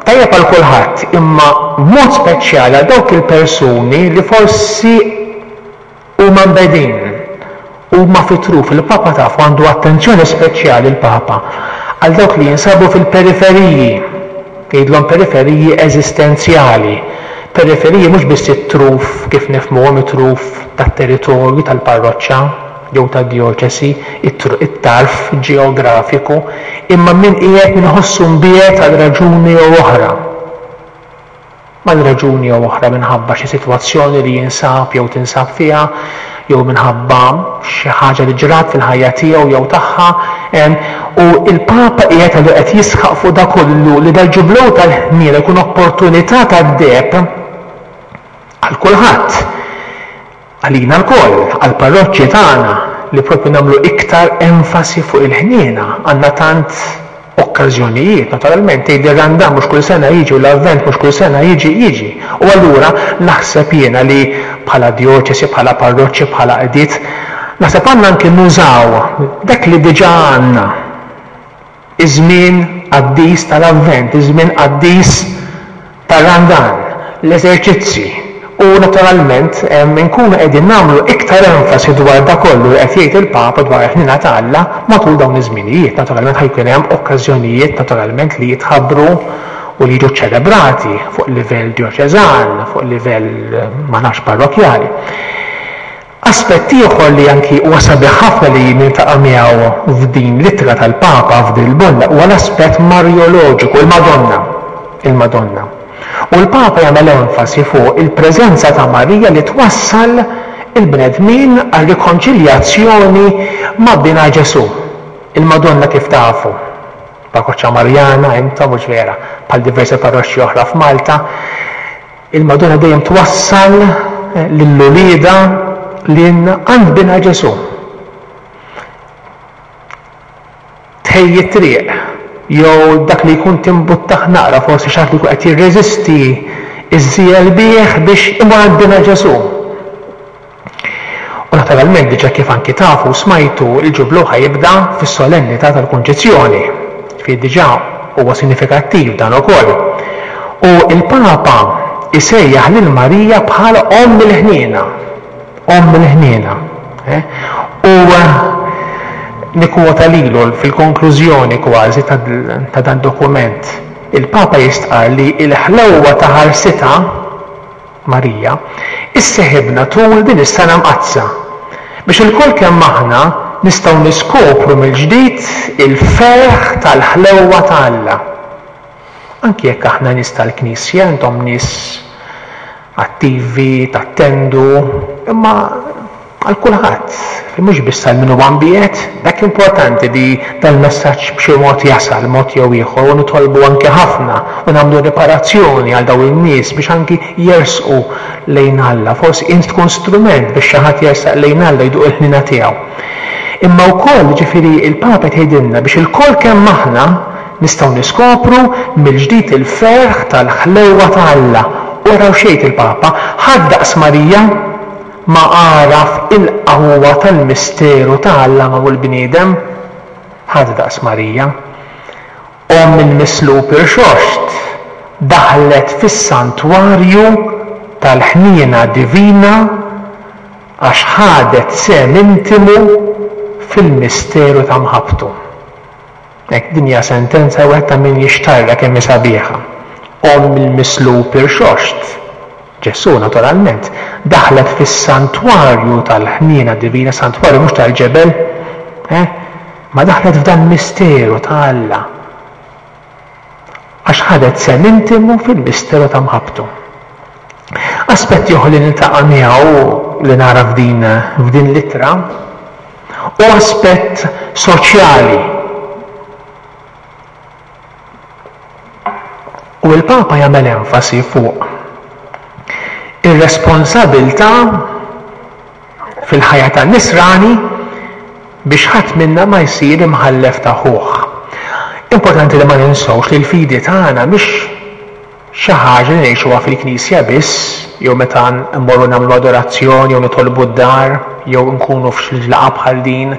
tajjeb għal kulħadd, imma b'mod speċjali għal dawk il-persuni li forsi huma mbegħdin, huma fit-truf. Il-Papa tafu għandu attenzjoni speċjali l-Papa għal dawk li jinsabu fil-periferiji, jgħidlhom periferiji eżistenzjali. Periferiji mhux biss it-truf kif nifhmuhom, it-truf tat-territorju tal-parroċċa jew tad-djoċesi, it-tarf ġeografiku, imma min qiegħed min iħossu mbiegħed għal raġuni jew oħra. Għal raġuni jew oħra minħabba xi sitwazzjoni li jinsab jew tinsab fiha, jew minħabba xi ħaġa li ġrat fil-ħajja tiegħu jew tagħha, u il-Papa qiegħed għallu qed jisħaq fuq da kollu li dal-ġublew tal-ħniena jkun opportunità tad-deheb għal kulħadd, għalina lkoll, għall-parroċċi tagħna, li propju nagħmlu iktar enfasi fuq il-ħniena. Għandna tant okkażjonijiet, naturalment, tgħid ir-Randan mhux kull sena jiġi u l-Avvent mhux kull sena jiġi, jiġi. U allura naħseb jiena li bħala djoċesi, bħala parroċċi, bħala qdiet, naħseb għandna anki nużaw dak li diġà għandna. Iż-żmien qaddis tal-Avvent, iż-żmien qaddis tar-Randan, l-eżerċizzi. U naturalment nkunu qegħdin nagħmlu iktar enfasi dwar dak kollu li qed jgħid il-Papa dwar il-ħniena ta' Alla matul dawn iż-żminijiet. Naturalment ħa jkun hemm okkażjonijiet naturalment li jitħabbru u li jiġu ċelebrati fuq livell djoċeżan, fuq livell ma nafx parrokjali. Aspett ieħor li anki huwa sabiħ ħafna li niltaqa' miegħu f'din l-ittra tal-Papa f'din il-bolla huwa l-aspett marjoloġiku, il-Madonna. Il-Madonna. U l-Papa jagħmel enfasi fuq il-preżenza ta' Marija li twassal il-bnedmin għar-rikonċiljazzjoni ma' binha Ġesù. Il-Madonna kif tafu, parroċċa Marjana, intom mhux vera, bħal diversi parroċċi oħra f'Malta, il-Madonna dejjem twassal lil uliedha lilna għand binha Ġesù. Tħejji t-triq, jew dak li jkun timbuttaħ naqra, forsi xi ħadd li jkun qed jirreżisti, iżżiegħel bih biex imur għand binha Ġesù. U naturalment diġà kif anki tafu smajtu, il-ġublew ħajibda fis-solennità tal-Kunċizzjoni. Ġifieri diġà huwa sinifikattiv dan ukoll. U l-Papa isejjaħ lil Marija bħala Omm il-Ħniena. Omm il-Ħniena. Eh? U nikkwota lilu fil-konklużjoni kważi ta' dan dokument. Il-Papa jistqar li l-ħlewwa ta' ħarsitha Marija isseħibna tul din is-sena mqaddsa biex ilkoll kemm aħna nistgħu niskopru mill-ġdid il-ferħ tal-ħlewwa ta' Alla. Anki jekk aħna nies tal-Knisja, intom nies attivi, tattendu, imma għal kulħadd, mhux biss għal min huwa mbiegħed, dak importanti li dal-messaġġ b'xi mod jasal mod jew ieħor, u nitolbu anke ħafna u nagħmlu riparazzjoni għal dawn in-nies biex anki jersqu lejn Alla. Forsi int tkun strument biex xi ħadd jersaq lejn Alla jduq il-ħniena tiegħu. Imma wkoll, ġifieri, il-Papa tgħidilna biex ilkoll kemm aħna nistgħu niskopru mill-ġdid il-ferħ tal-ħlewwa ta' Alla. U araw xejn il-Papa, ħadd daqs Marija ma għaraf il-qawwa tal-misteru ta' Alla magħmul bniedem. Ħadd daqs Marija. Omm il-mislub irxoxt daħlet fis-santwarju tal-ħniena divina għax ħadet sehem intimu fil-misteru ta' mħabbtu. Hekk din hija sentenza wieħed ta' min jixtarra kemm hi sabiħa. Omm il-mislub irxoxt, Ġesù naturalment, daħlet fis-santwarju tal-ħniena divina, santwarju mhux tal-ġebel, eh? Ma daħlet f'dan misteru ta' Alla għax ħadet sehem intimu fil-misteru ta' mħabbtu. Aspett ieħor li niltaqa' miegħu li nara f'din f'din l-ittra hu aspett soċjali. U l-Papa jagħmel enfasi fuq ir-responsabilità fil-ħajja tan-nisrani biex ħadd minna ma jsir imħallef ta' ħuh. Importanti li ma ninsewx li l-fidi tagħna mhix xi ħaġa li ngħixuha fil-Knisja biss, jew meta mmorru nagħmlu adorazzjoni, jew nitolbu d-dar, jew nkunu f'xi laqgħa bħal din,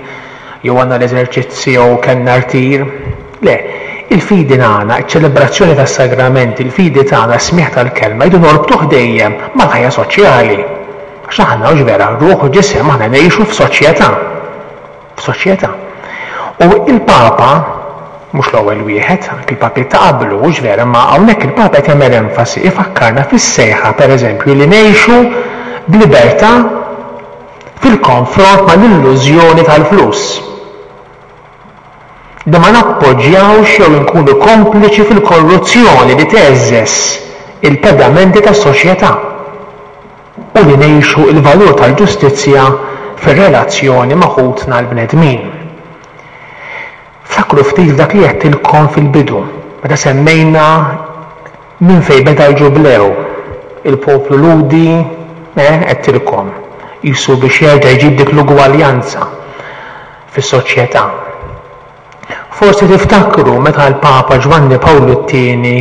jew għandna l-eżerċizzi, jew kellna rtir. Le, il-fidi tagħna, iċ-ċelebrazzjoni tas-sagramenti, il-fidi tagħna, s-smigħ tal-kelma, jridu norbtuh dejjem mal-ħajja soċjali. Għax aħna hux vera, ruħ u ġisem aħna ngħixu f'soċjetà. F'soċjetà. U il-Papa, mhux l-ewwel wieħed, anke il-papi ta' qablu, hux vera, ma hawnhekk il-Papa qed jagħmel enfasi, ifakkarna fis-sejħa pereżempju li ngħixu b'libertà fil-konfront mal-illużjoni tal-flus. Li ma nappoġġjawx jew inkunu kompliċi fil-korruzzjoni li teżżeż il-pedamenti tas-soċjetà u li ngħixu l-valur tal-ġustizzja fir-relazzjoni ma' ħutna l-bnedmin. Ftakru ftit f'dak li għedtilkom fil-bidu, meta semmejna minn fejn beda l-ġublew, il-poplu Lhudi, eh, għedtilkom, qisu biex jerġa' jġib dik l-ugwaljanza. fis-soċjetà. Forsi tiftakru meta l-Papa Ġwanni Pawlu t-Tieni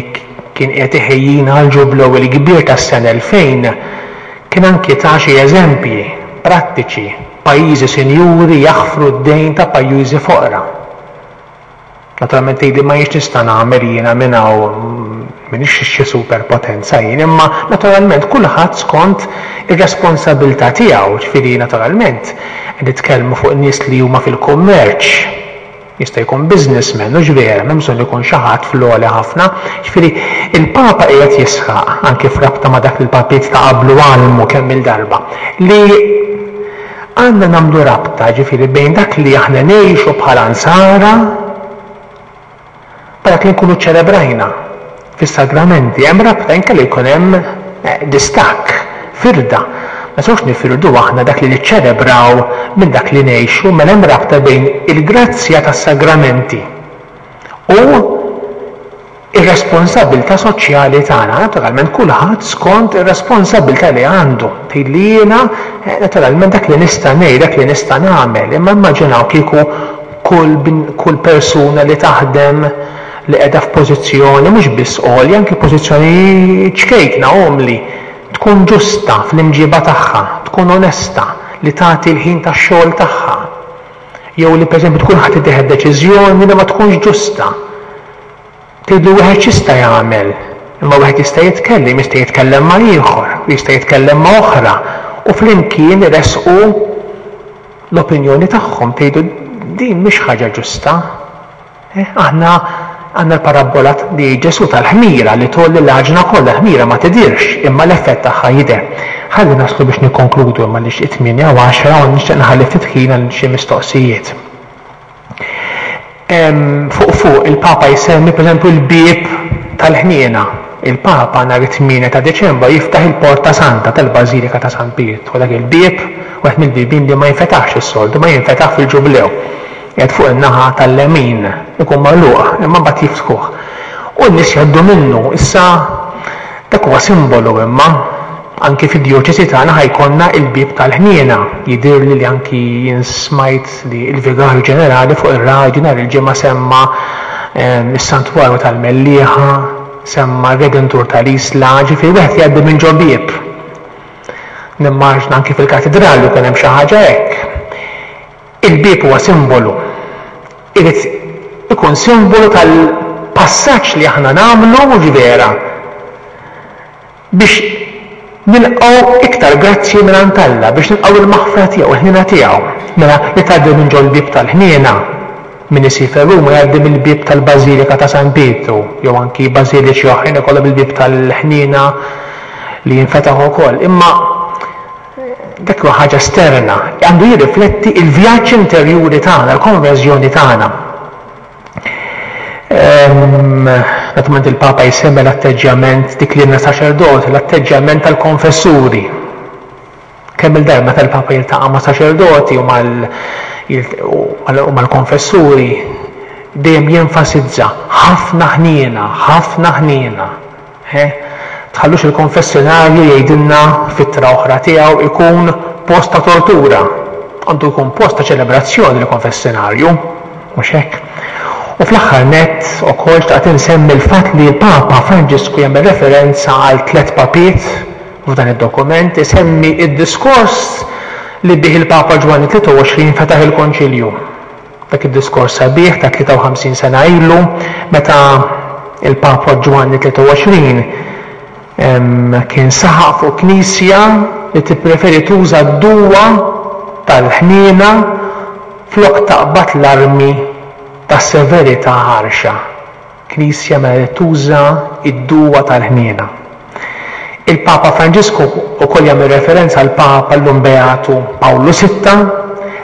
kien qiegħed iħejjina għall-Ġublew il-Kbir tas-sena elfejn, kien anki ta xi eżempji prattiċi, pajjiżi sinjuri jaħfru d-dejn ta' pajjiżi foqra. Naturalment tgħidli ma jienx nista' nagħmel jiena minn hawn, m'iniex xi superpotenza jien, imma naturalment kulħadd skont ir-responsabilità tiegħu, ġifieri naturalment nitkellmu fuq nies li huma fil-kummerċ, jista' jkun businessman, hux vera, m'hemm bżonn ikun xi ħadd fl-għoli ħafna. Ġifieri il-Papa qiegħed jisħaq anke f'rabta ma' dak li l-papiet ta' qablu għallmu kemm il-darba, li għandna nagħmlu rabta ġifieri bejn dak li aħna ngħixu bħala nsara ma dak li nkunu ċelebrajna fis-sagramenti. Hemm rabta, inkella jkun hemm distakk, firda. Ma nistgħux nifirdu aħna dak li niċċelebraw minn dak li ngħixu, mela hemm rabta bejn il-grazzja tas-sagramenti u ir-responsabilità soċjali tagħna. Naturalment kulħadd skont ir-responsabilità li għandu. Tgħid li jiena naturalment dak li nista' ngħid, dak li nista' nagħmel, imma immaġinaw kieku kull, kull persuna li taħdem li qiegħda f'pożizzjoni mhux biss għolja, anke pożizzjoni ċkejkna, umli, tkun ġusta fl-imġiba tagħha, tkun onesta, li tagħti l-ħin tax-xogħol tagħha, jew li pereżempju tkun ħadd tieħed deċiżjoni li ma tkunx ġusta. Tgħidlu wieħed x'jista' jagħmel, imma wieħed jista' jitkellem, jista' jitkellem ma' ieħor, jista' jitkellem ma' oħra, u flimkien iresqu l-opinjoni tagħhom, tgħidu din mhix ħaġa ġusta. Eh, aħna għandna l-parabbola li Ġesù tal-ħmira li tgħolli l-għaġna kollha, l-ħmira ma tidirx, imma l-effett tagħha jidher. Ħalli naslu biex nikkonkludu imma li it-tmienja u għaxra u nixtieq nħalli ftit ħin għal xi mistoqsijiet. Fuq fuq il-Papa jsemmi pereżempju l-bieb tal-ħniena. Il-Papa nhar it-tmienja ta' Deċembru jiftaħ il-Porta Santa tal-Bażilika ta' San Pietru. Dak il-bieb wieħed mill-bibien li ma jinfetaħx is-soltu, ma jinfetaħ fil-Ġublew. Qiegħed fuq in-naħa tal-lemin, ikun magħluq, imma mbagħad jiftħuh. U n-nies jgħaddu minnu. Issa dak huwa simbolu, imma anki fid-djoċesi tagħna ħajkonna il-bieb tal-ħniena. Jidhirli li anki jien smajt li l-Vigarju Ġenerali fuq ir-radju nhar il-ġimgħa semma is-Santwarju tal-Mellieħa, semma r-Redentur tal-Isla, ġifieri wieħed jgħaddi minn ġo bieb. Nimmaġna anki fil-katidrali jkun hemm xi ħaġa hekk. Il-bieb huwa simbolu. Irid ikun simbolu tal-passaġġ li aħna nagħmlu mhux vera biex nilqgħu iktar grazzji mingħand Alla, biex nilqgħu il-maħfra tiegħu, il-ħniena tiegħu. Mela li tgħaddi minn ġol-bieb tal-ħniena, min isiefer Ruma jgħaddi mill-bieb tal-Bażilika ta' San Pietru, jew anki bażiliċi oħrajn ikollhom il-bieb tal-ħniena li jinfetaħ ukoll. Imma dak huwa ħaġa esterna, għandu jirrifletti il-vjaġġ interjuri tagħna, l-konverżjoni tagħna. Naturalment il-Papa jsemmi l-atteġġjament dik li saċerdoti, l-atteġġjament tal-konfessuri. Kemm il-darba meta l-Papa jiltaqa' ma' saċerdoti u mal-konfessuri, dejjem jenfasizza ħafna ħniena, ħafna ħniena. Tħallux il-konfessionarju jgħidilna fittra oħra tiegħu ikun post ta' tortura. Għandu jkun post ta' ċelebrazzjoni l-konfessionarju, mhux hekk? U fl-aħħar nett ukoll xtaqt insemmi l-fatt li l-Papa Franġisku jagħmel referenza għal tliet papiet f'dan id-dokument, isemmi id-diskors li bih il-Papa Ġwanni tlieta u għoxrin fetaħ il-Konċilju. Dak id-diskors sabiħ ta' tlieta u ħamsin sena ilu meta il-Papa Ġwanni tlieta u għoxrin kien saħaq fuq knisja li tippreferi tuża d-duwa tal-ħniena flok taqbad l-armi tas-severità ħarxa. Knisja mela li tuża id-duwa tal-ħniena. Il-Papa Franġisku wkoll jagħmel referenza għal Papa llum Beatu Pawlu sitta,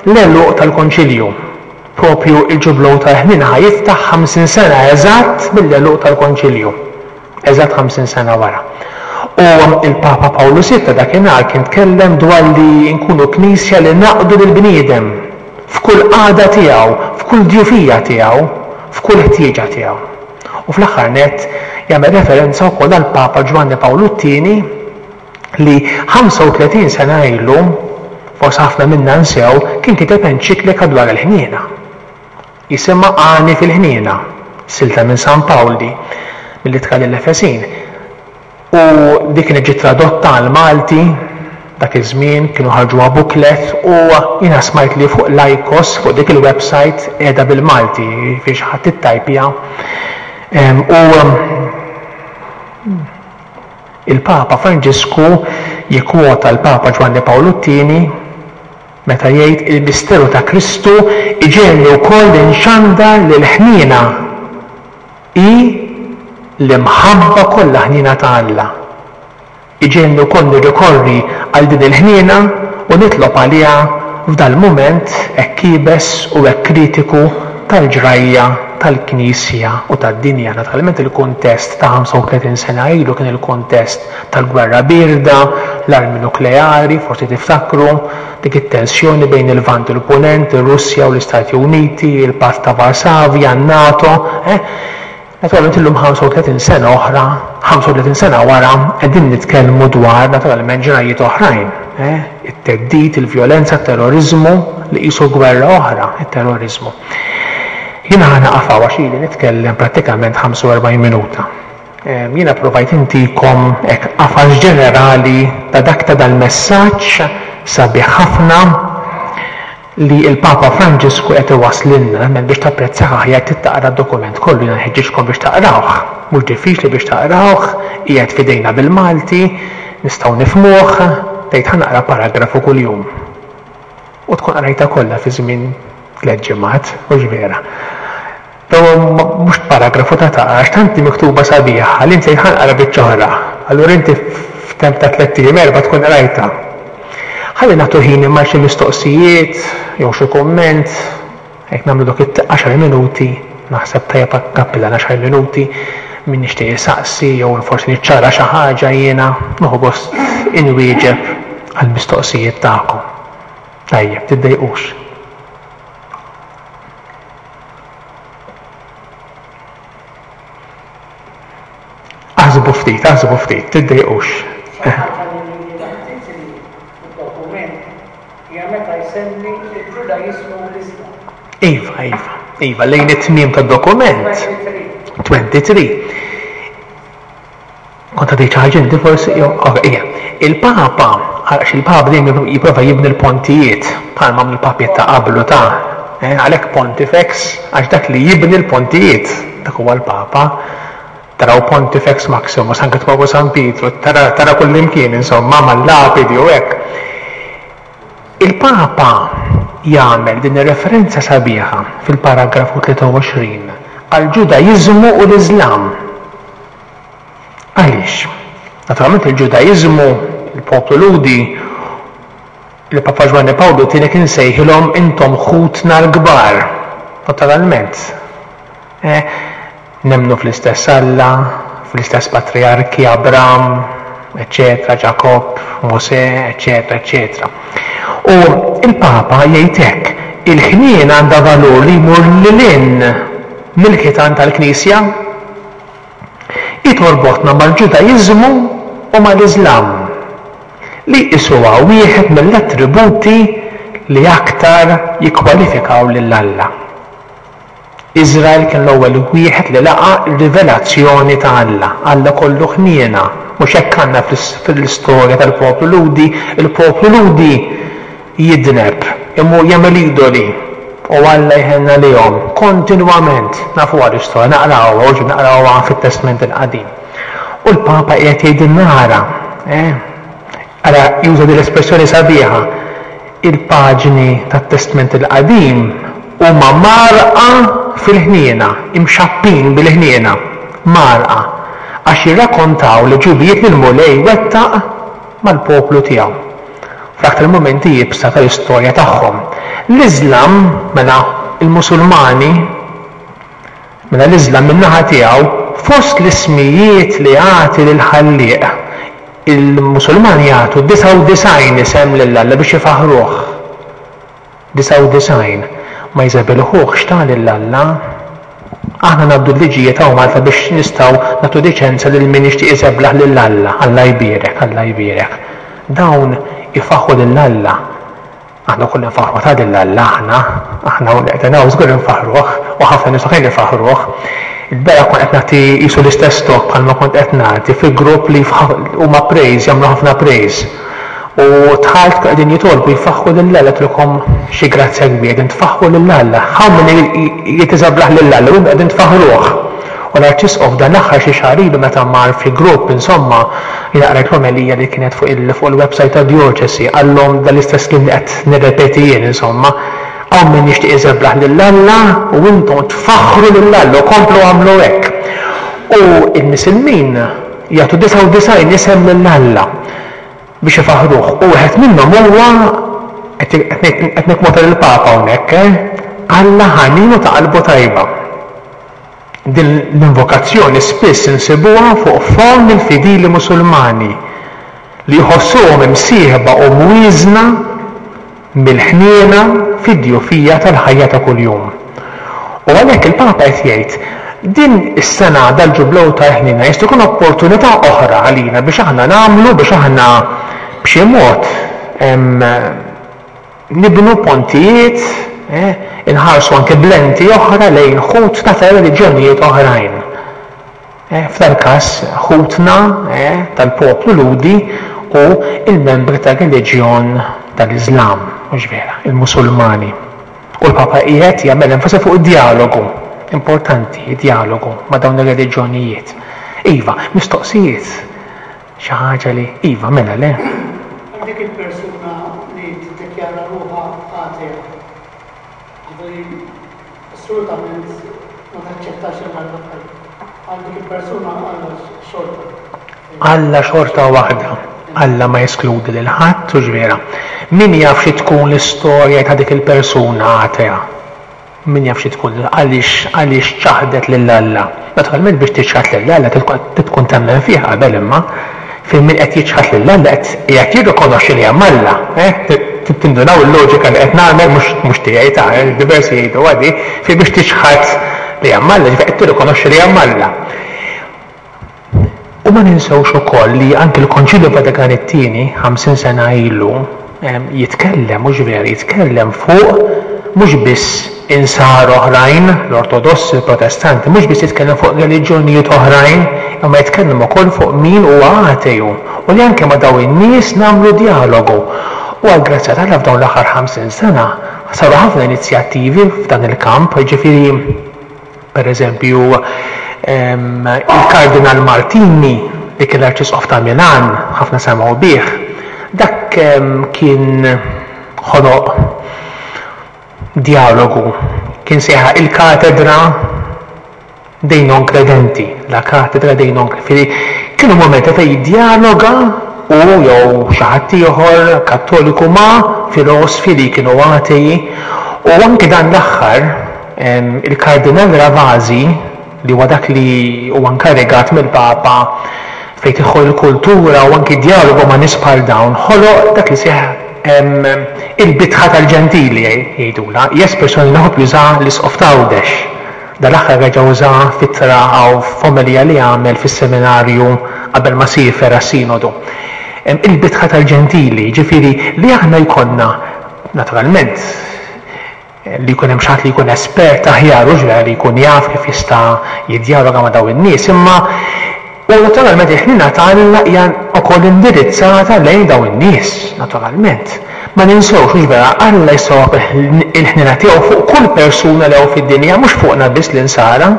l-għeluq tal-Konċilju. Propju il-ġublew tal-ħniena ħa jiftaħ ħamsin sena eżatt mill-għeluq tal-Konċilju. Eżatt ħamsin sena wara. U il-Papa Pawlu sitta dakinhar kien tkellem dwar li nkunu knisja li naqdu lill-bniedem f'kull qagħda tiegħu, f'kull djufija tiegħu, f'kull ħtieġa tiegħu. U fl-aħħar nett jagħmel referenza wkoll għal Papa Ġwanni Pawlu t-tieni li ħamsa u tletin sena ilu forsi ħafna minna nsew, kien kiteb enċiklika dwar il-ħniena. Jisimha Għani fil-Ħniena, silta minn San Pawl di, mill-Ittra lill-Efesin. U dik kienet ġiet tradotta għall-Malti dak iż-żmien, kienu ħarġuha booklet, u jiena smajt li fuq l-ICOS, fuq dik il-website, qiegħda bil-Malti, jiġifieri xi ħadd ittajpja. U il-Papa Franġisku jikkwota l-Papa Ġwanni Pawlu t-Tieni meta jgħid il-misteru ta' Kristu iġegħelni wkoll inxandar li l-ħniena hi l-imħabba kollha ħniena ta' Alla. Iġegħelni wkoll nirrikorri għal din il-ħniena u nitlob għaliha f'dal-mument hekk iebes u hekk kritiku tal-ġrajja tal-Knisja u tad-dinja. Naturalment il-kuntest ta' ħamsa u tletin sena ilu kien il-kuntest tal-gwerra bierda, l-armi nukleari, forsi tiftakru, dik it-tensjoni bejn il-Lvant u l-Punent, ir-Russja u l-Istati Uniti, il-Patt ta' Varsavja, n-NATO. Eh? Naturalment illum ħamsa u tletin sena oħra, ħamsa u tletin sena wara, qegħdin nitkellmu dwar naturalment ġrajiet oħrajn. Eh? It-theddid, il-vjolenza, it-terrorizmu, li qisu gwerra oħra, it-terrorizmu. Jiena ħa naqaf hawn għax ili nitkellem prattikament ħamsa u erbgħin minuta. Ehm, jiena provajt intikom hekk qafas ġenerali ta' dak ta' dal-messaġġ sabiħ ħafna li l-Papa Franġisku qed iwasslilna. Nemmen biex tapprezzah aħjar trid taqra d-dokument kollu, jiena nħeġġiġkom biex taqrawh. Mhux diffiċli biex taqrawh, qiegħed f'idejna bil-Malti, nistgħu nifhmuh, tgħid ħa naqra paragrafu kuljum. U tkun qrajtha kollha fi żmien tliet ġimgħat, mhux vera. Però mhux paragrafu ta' taqra, għax tant hi miktuba sabiħa li inti tgħid ħa nqra biċċa oħra. Allura inti f'temp ta' tliet ijiem erba' tkun qrajtha. Ħalli nagħtu ħin imma xi mistoqsijiet jew xi kumment, hekk nagħmlu dok it-għaxar minuti, naħseb tajjeb għall-kappillan għaxar minuti, min nixtieq isaqsi jew forsi niċċara xi ħaġa jiena nieħu gost inwieġeb għall-mistoqsijiet tagħkom. Tajjeb, tiddejqux. Aħsbu ftit, aħsbu ftit, tiddejqux. Xi ħaġa li lili laqtitni fid-dokument hija meta jsemmi l-Ġudaiżmu u l-Iżlam. Iva, iva, iva, lejn it-tmiem tad-dokument. twenty-three. Kont għadejt xi ħaġa inti forsi? Jew, ok, ija. Il-Papa, għax il-Papa dejjem jipprova jibni l-pontijiet, bħalma għamlu l-papiet ta' qablu ta', eh, għalhekk Pontifex, għax dak li jibni l-pontijiet, dak huwa l-Papa. Taraw Pontifex Maximus, anke tmorru San Pietru, tara, tara kullimkien, insomma, mal-lapidi u hekk. Il-Papa jagħmel din ir-referenza sabiħa fil-paragrafu tlieta u għoxrin għall-Ġudaiżmu u l-Iżlam. Għaliex? Naturalment il-Ġudaiżmu, il-poplu Lhudi, il-Papa Ġwanni Pawlu t-tieni kien sejħilhom intom ħutna l-kbar. Naturalment. Eh, nemmnu fl-istess Alla, fl-istess patriarki, Abram, eccetera, Ġakobb, Mosè, eccetera, eccetera. U il-Papa jgħid hekk, il-ħnien għandha valur li jmur lil hinn mill-ħitan tal-Knisja. Hi torbotna mal-Ġudaiżmu u mal-Iżlam, li jqisuha wieħed mill-attributi li aktar jikkwalifikaw lil Alla. Iżrael kien l-ewwel wieħed li laqa' r-rivelazzjoni ta' Alla. Alla kollu ħniena. Mhux hekk għandna fl-istorja tal-poplu Lhudi. Il-poplu Lhudi jidneb, imur jagħmel idoli, u Alla jħenna lihom kontinwament. Nafuha l-istorja, naqrawha, u naqrawha fit-Testment il-Qadim. U l-Papa qiegħed jgħidilna ara, eh? Ara juża din l-espressjoni sabiħa, il-paġni tat-Testment il-Qadim huma marqa fil-ħniena, imxappin bil-ħniena, marqa, għax jirrakkontaw li ġubijiet li l-Mulej wettaq mal-poplu tiegħu. Fl-aktar momenti iebsa tal-istorja tagħhom. L-Iżlam, mela il-Musulmani, mela l-Iżlam min-naħa tiegħu, fost l-ismijiet li jagħti lil-Ħallieq, il-Musulmani jagħtu disgħa u disgħin isem lil Alla biex ifaħruh. Disgħa u disgħin. Ma jżebilħuhx ta' lil Alla. Aħna ngħaddu l-liġijiet hawn Malta biex nistgħu nagħtu liċenza lil min jixtieq iżeblaħ lil Alla. Alla jbierek, Alla jbierek. Dawn ifaħħu lil Alla. Aħna kollha nfaħħru ta' lil Alla aħna, aħna u qed hawn żgur infaħħruh u ħafna nies oħrajn ifaħħruh. Il-bieraħ kont qed nagħti qisu l-istess talk bħalma kont qed nagħti fi grupp li huma praise, jagħmlu ħafna praise. U dħalt qegħdin jitolbu jfaħħu lil Alla għedtilhom xi grazzja kbira, qegħdin tfaħħu lil Alla. Hawn min jitiżablaħ lil Alla u qegħdin tfaħħruh. U l-Arċisqof dan l-aħħar xi xahar ilu meta mar fi grupp insomma jiena qrajt l-omelija li kienet fuq il-website tad-djoċesi qallhom dal-istess kliem li qed nirrepeti jien insomma hawn min jixtieq iżeblaħ lil Alla u intom tfaħħru lil Alla u komplu agħmlu hekk. U l-Misilmin jagħtu disgħa u disgħin isem lil Alla biex ifaħħruh u wieħed minnhom huwa qed nikkwota lill-Papa hawnhekk, eh? Alla ħanin u ta' qalbu tajba. Din l-invokazzjoni spiss insibuha fuq fomm il-fidili Musulmani li jħossuhom imsieħba u mwieżna mill-ħniena fid-djufija tal-ħajja ta' kuljum. U għalhekk il-Papa qed jgħid, din is-sena dal-Ġublew tal-Ħniena jista' jkun opportunità oħra għalina biex aħna nagħmlu, biex aħna b'xi mod nibnu pontijiet, eh, inħarsu anke b'lenti oħra lejn ħutna ta' reliġjonijiet oħrajn. Eh, f'dal-każ ħutna eh, tal-poplu Lhudi u il-membri tar-reliġjon tal-Iżlam, mhux vera, il-Musulmani. U l-Papa qiegħed jagħmel enfasi fuq id-dialogu, importanti id-dialogu ma' dawn ir-reliġjonijiet. Iva, mistoqsijiet, xi ħaġa li iva mela le. Dik il-persuna li tiddikjara ruħha atea, ġifieri assolutament ma taċċettax il-Alla għal dik il-persuna Alla xorta. Alla xorta waħda. Alla ma jeskludi lil ħadd u vera. Min jaf xi tkun l-istorja ta' dik il-persuna atea? Min jaf xi tkun għaliex għaliex ċaħdet lil Alla? Naturalment biex tiċħad lil Alla tkun temmen fih qabel imma fejn min qed jiċħad lil Alla qed qiegħed jirrikonoxxi li hemm Alla, eh? Tindunaw il-loġika li qed nagħmel mhux tiegħi ta' diversi jgħidu għadi, fejn biex tiċħad li hemm Alla, ġifieri qed tirrikonoxxi li hemm Alla. U ma ninsewx ukoll li anke l-Konċilju Vatikan it-tieni ħamsin sena ilu jitkellem, mhux vera, jitkellem fuq mhux biss insar oħrajn, l-Ortodossi, l-Protestanti, mhux biss jitkellem fuq reliġjonijiet oħrajn, imma jitkellem ukoll fuq min huwa ateju u li anke ma' dawn in-nies nagħmlu dialogu. U għall-grazzja t'Alla f'dawn l-aħħar ħamsin sena saru ħafna inizjattivi f'dan il-kamp, ġifieri per eżempju il-Kardinal Martini li kien l-Arċisqof ta' Milan, ħafna semgħu bih, dak kien ħoloq dialogu, kien sejħa il-katedra dei non credenti, la katedra dei non credenti. Kienu momenti fejn jiddialoga u jew xi ħadd ieħor kattoliku ma' filosfi li kienu atei, u anke dan l-aħħar il-Kardinal Ravasi li huwa dak li huwa inkarigat mill-Papa fejn tidħol il-kultura u anki dialogu ma' nies bħal dawn, ħoloq dak li seħ il-bitħa tal-ġentili jgħidula, hija espressjoni li ħobb juża l-Isqof t'Għawdex. Dal-aħħar reġa' uża f'ittra għaw f'omelija li għamel fis-seminarju qabel ma siefer għas-sinodu. Il-bitħa tal-ġentili, ġifieri li aħna jkollna naturalment li jkun hemm xi ħadd li jkun espert aħjar u ġvera li jkun jaf kif jista' jiddjaloga ma' dawn in-nies, imma u naturalment il-ħniena ta' Alla hija wkoll indirizzata lejn dawn in-nies, naturalment. Ma ninsewx hux vera Alla jsawwab il-ħniena tiegħu fuq kull persuna li hawn fid-dinja, mhux fuqna biss l-insara,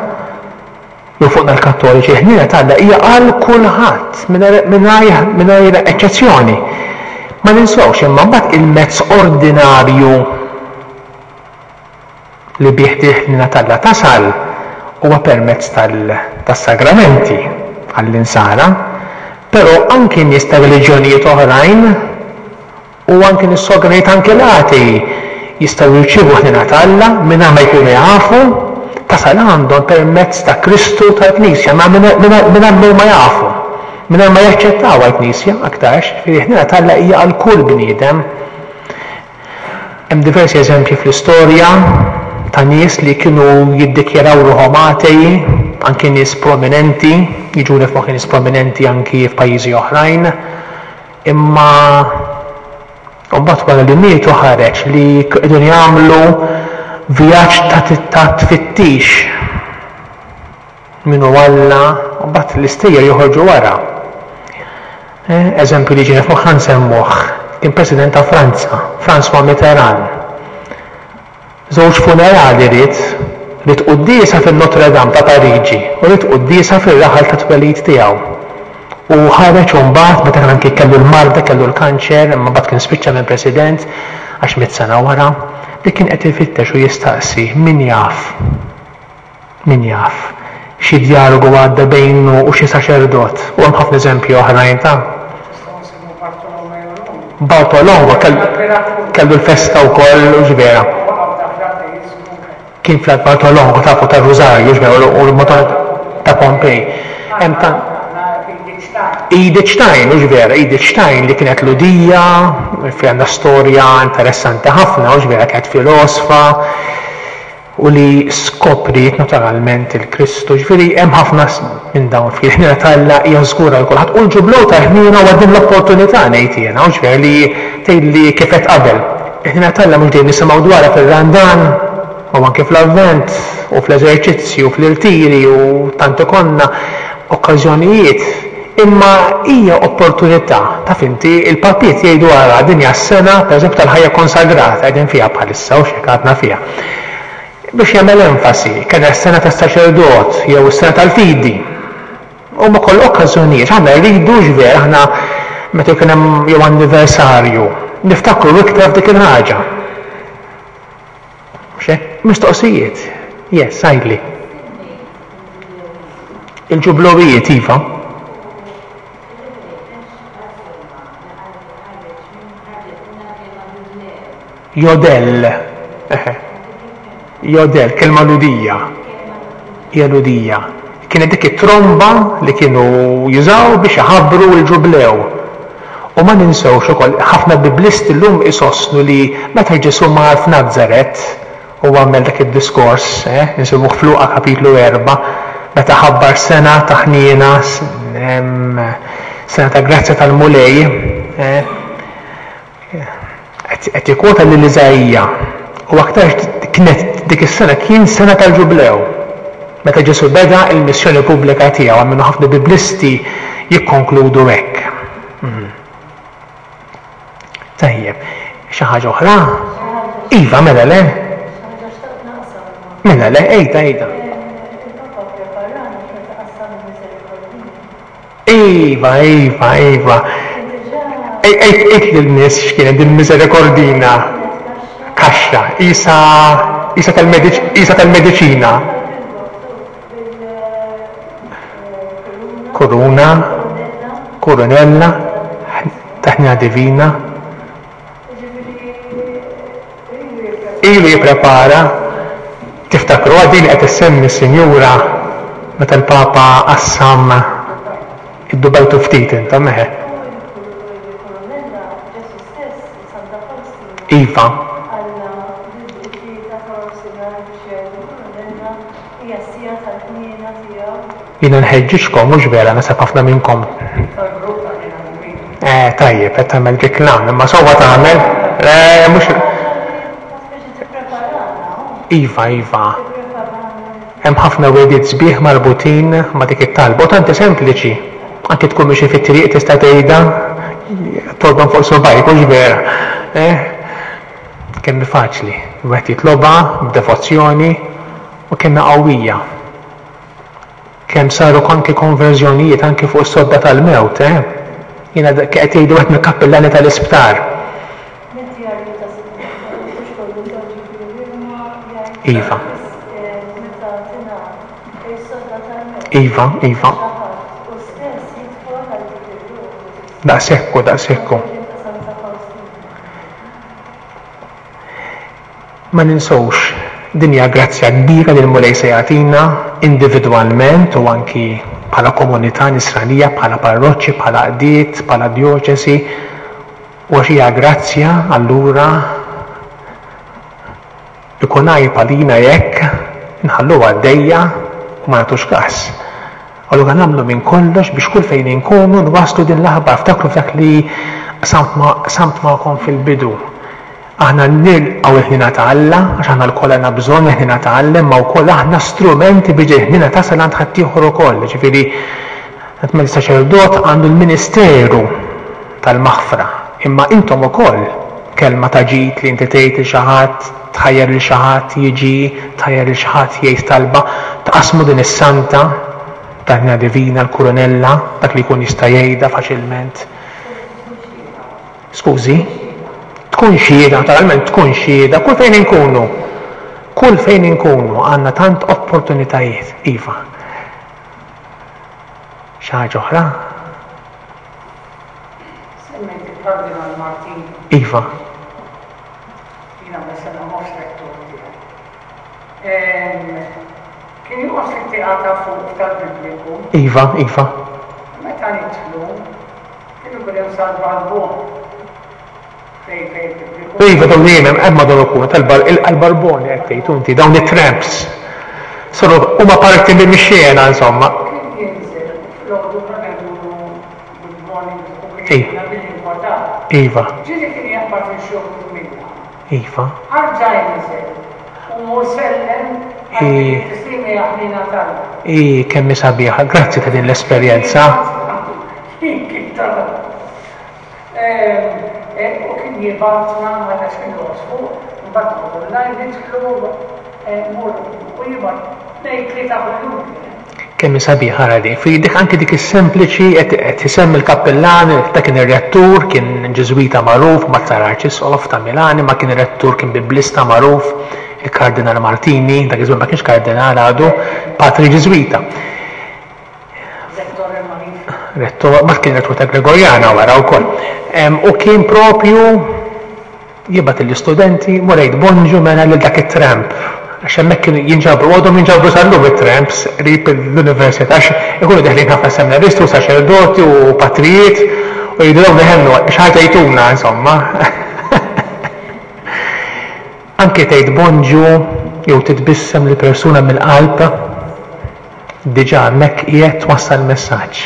jew fuqna l-Kattoliċi, il-ħniena ta' Alla hija għal kulħadd mingħajr eċċezzjoni. Ma ninsewx imma mbagħad il-mezz ordinarju li bih il-ħniena ta' Alla tasal huwa permezz tas-sagramenti għall-insara, però anki nies ta' reliġjonijiet oħrajn u anki nies sogranijiet anki l-atei jistgħu jirċievu ħniena ta' Alla mingħajr ma jkunu jafu, tasal għandhom permezz ta' Kristu tal-Knisja, ma mingħajr ma jafu, mingħajr ma jaċċettaw għall-Knisja aktarx, ġifieri ħniena ta' Alla hija għal kull bniedem. Hemm diversi eżempji fl-istorja ta' nies li kienu jiddikjaraw ruħhom atei, anki nies prominenti, jiġuni f'moħħi nies prominenti anki f'pajjiżi oħrajn, imma U mbagħad wara li mietu ħareġ li qegħdin jagħmlu vjaġġ ta' tfittix min hu Alla, u mbagħad l-istejjer joħorġu wara. Eżempju li ġiena f'moħħna nsemmuh, kien President ta' Franza, François Mitterrand. Żewġ funerali ried, ried quddiesa fin-Notre Dame ta' Pariġi u ried quddiesa fir-raħal tat-twelid tiegħu. U ħareġ imbagħad meta kien anki kellu l-marda, kellu l-kanċer, imma mbagħad kien spiċċa minn President għax miet sena wara, li kien qed ifittex u jistaqsi min jaf, min jaf, xi djalogu għadda bejnu u xi saċerdot. U hemm ħafna eżempji oħrajn ta' Bartolongo kellu l-festa wkoll u ġvera. Kien fl Bartolongo tafu tar-Rużarju ġvera u l-Madonna ta' Pompej. Hemm ta' Edith Stein, u ġvera, Edith Stein li kienet Lhudija, fi għandha storja interessanti ħafna, u ġvera kienet filosfa, u li skopriet naturalment il-Kristu. Ġifieri hemm ħafna minn dawn fil-ħniena t'Alla hija żgura għal kulħadd. U l-ġublew tal-ħniena huwa din l-opportunità ngħid jiena, u ġifieri li tgħid li kif għedt qabel. Il-ħniena t'Alla mhux dejjem nisimgħu dwarha fir-Randan, u anke fl-Avvent, u fl-eżerċizzji, u fl-irtiri, u tant ikollna okkażjonijiet. Imma hija opportunità, taf inti, il-papiet jgħidu ara din hija s-sena, pereżempju, tal-ħajja konsagrata qegħdin fiha bħalissa, u x'hekk għadna fiha. Biex jagħmel enfasi, kien s-sena tas-saċerdot jew is-sena tal-fidi. Huma kollha okkażjonijiet, aħna rridu x'ver, aħna meta jkun hemm jew anniversarju, niftakru iktar f'dik il-ħaġa. Mhux hekk? Mistoqsijiet. Yes, għidli. Il-ġublowijiet, iva. Jodel. Eħe. Jodel, kelma Lhudija. Hija Lhudija. Kienet dik it-tromba li kienu jużaw biex iħabbru l-ġublew. U ma ninsewx ukoll, ħafna biblisti llum isostnu li meta Ġesù mar f'Nazaret u għamel dak id-diskors, eh, insibuh f'Luqa kapitlu erba', meta ħabbar sena ta' ħniena, sena ta' grazzja tal-Mulej, eh, qed jikkwota lil Iżaija. U aktar kienet dik is-sena kien sena tal-ġublew. Meta Ġesù beda il-missjoni pubblika tiegħu, għamlu ħafna biblisti jikkonkludu hekk. Mhm. Tajjeb, xi ħaġa oħra? Iva, mela le? Mela le, ejda, ejda. Iva, iva, iva. Ejt lin-nies x'kienet din misericordina. Kaxxa, isa, isa tal-mediċ-, tal-mediċina. Kuruna, kurunella, taħnina divina. Ilu jipprepara. Tiftakru din qed issemmi s-Sinjura meta l-Papa qassam id-dubajtu ftit intom eħe. Iva. Jiena nħeġġiġkom, mhux vera, nasab ħafna minnkom. Eh, tajjeb, qed tagħmel reklam, imma sewwa tagħmel. Eh, mhux Iva, iva. Hemm ħafna wegħdiet sbieħ marbutin ma' dik it-talba, u tanti sempliċi. Anki tkun mixi fit-triq tista' tgħidha, torban fuq subajk, mhux vera. Eh? Kemm faċli, wieħed jitlobha b'devozzjoni u kemm qawwija. Kemm saru anki konverżjonijiet anki fuq is-sodda tal-mewt, eh? Jiena qed jgħidu wieħed mill-kappillani tal-isptar. Iva. Iva, iva. Daqshekk, daqshekk. Ma ninsewx, din hija grazzja kbira li l-Mulej se jagħtina individwalment u anki bħala komunità nisranija, bħala parroċċi, bħala qdiet, bħala djoċesi. U għax hija grazzja, allura ikun għajb għalina jekk nħalluha għaddejja u ma nagħtux każ. Allura nagħmlu minn kollox biex kull fejn inkunu nwasslu din l-aħbar. Ftakru f'dak li Qsamt magħkom fil-bidu. Aħna nilqgħu il-ħniena ta' Alla, għax aħna lkoll għandna bżonn il-ħniena ta' Alla, imma wkoll aħna strumenti biex il-ħniena tasal għand ħaddieħor ukoll. Ġifieri, meta saċerdot għandu l-ministeru tal-maħfra, imma intom ukoll kelma ta' ġid li inti tgħid lil xi ħadd, tħajjar lil xi ħadd jiġi, tħajjar lil xi ħadd jgħid talba, tqasmu din is-santa tal-ħniena divina, l-kurunella, dak li jkun jista' jgħidha faċilment. Skużi? Tkun xhieda, naturalment tkun xhieda, kull fejn inkunu. Kull fejn inkunu għandna tant opportunitajiet, iva. Xi ħaġa oħra? Semmejt il-Kardinal Martin. Iva. Jiena sena mhux rettur tiegħi. Kien joqgħod fit-tieqa ta' fuq tal-Bibliku. Iva, iva. Meta nidħlu, kien ikun hemm sal-barbon. Iva, dawn li hemm hemm madwar ukoll tal-barboni qed tgħid inti, dawn it-tramps. Soru huma parti minn mix-xena insomma. Kien jinżel filgħodu konna ngħidulu good morning u kien jgħidilna bil-lingwa tagħna. Iva. Ġieli kien jaqbad lil xi wħud minna. Iva. Arġa' jinżel u mur sellem għal tislimi ħnina t'Alla. I kemm hi sabiħa, grazzi ta' din l-esperjenza. Kien U kien jibgħatna meta x'kien joqgħod fuq, mbagħad noqogħdu online nidħlu mur u jibgħat tnejn tlieta kuljum. Kemm hi sabiħa ara din. Fi dik anke dik is-sempliċi qed isemmi l-kappellan, ta' kien ir-rettur, kien Ġiżwita magħruf, ma sar arċisqof ta' Milan, imma kien ir-rettur, kien biblista magħruf, il-Kardinal Martini, dak iż-żmien ma kienx kardinal għadu, patri Ġiżwita. Rettor, ma kien rettur ta' Gregoriana wara wkoll. U kien propju jibgħat l-istudenti mur għid bonġu mela lil dak it-tramp. Għax hemmhekk kienu jinġabru, għadhom jinġabru sal-lum it-tramps qrib l-università, għax ikunu deħlin ħafna seminaristi u saċerdoti u patrijiet u jgħidu dawn iħennu xi ħaġa jtuna insomma. Anke tgħid bonġu jew titbissem li persuna mill-qalb, diġà hemmhekk qiegħed twassal messaġġ.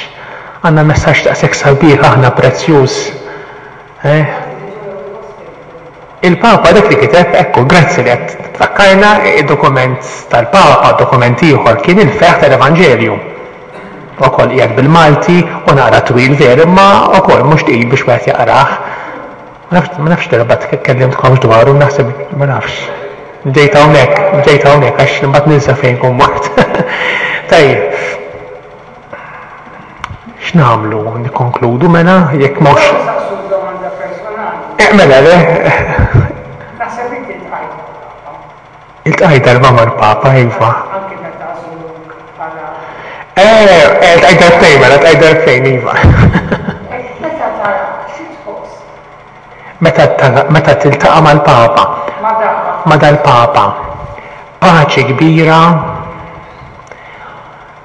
Għandna messaġġ daqshekk sabiħ aħna prezzjuż. Eh? Il-Papa dak li kiteb, ekku, grazzi li qed tfakkarna, id-dokument tal-Papa, dokument ieħor kien il-ferħ tal-Evanġelju. Ukoll qiegħed bil-Malti u naqra twil ver, imma ukoll mhux tqil biex wieħed jaqrah. Ma nafx, ma nafx darba tkellimtkomx dwaru, naħseb ma nafx. Ġejt hawnhekk, ġejt hawnhekk għax imbagħad ninsa fejn kun mort. Tajjeb. X'nagħmlu? Nikkonkludu mela jekk mhux. Saqsu domanda personali. Eh, mela le. Naħseb inti iltqajt mal-Papa. Iltqajt darba mal-Papa, iva. Anke meta għażluk bħala. Eh, eh, iltqajt darbtejn, mela iltqajt darbtejn, iva. Meta tara xi tħoss? Meta tara, meta tiltaqa' mal-Papa. Ma dal-Papa. Ma dal-Papa. Paċi kbira,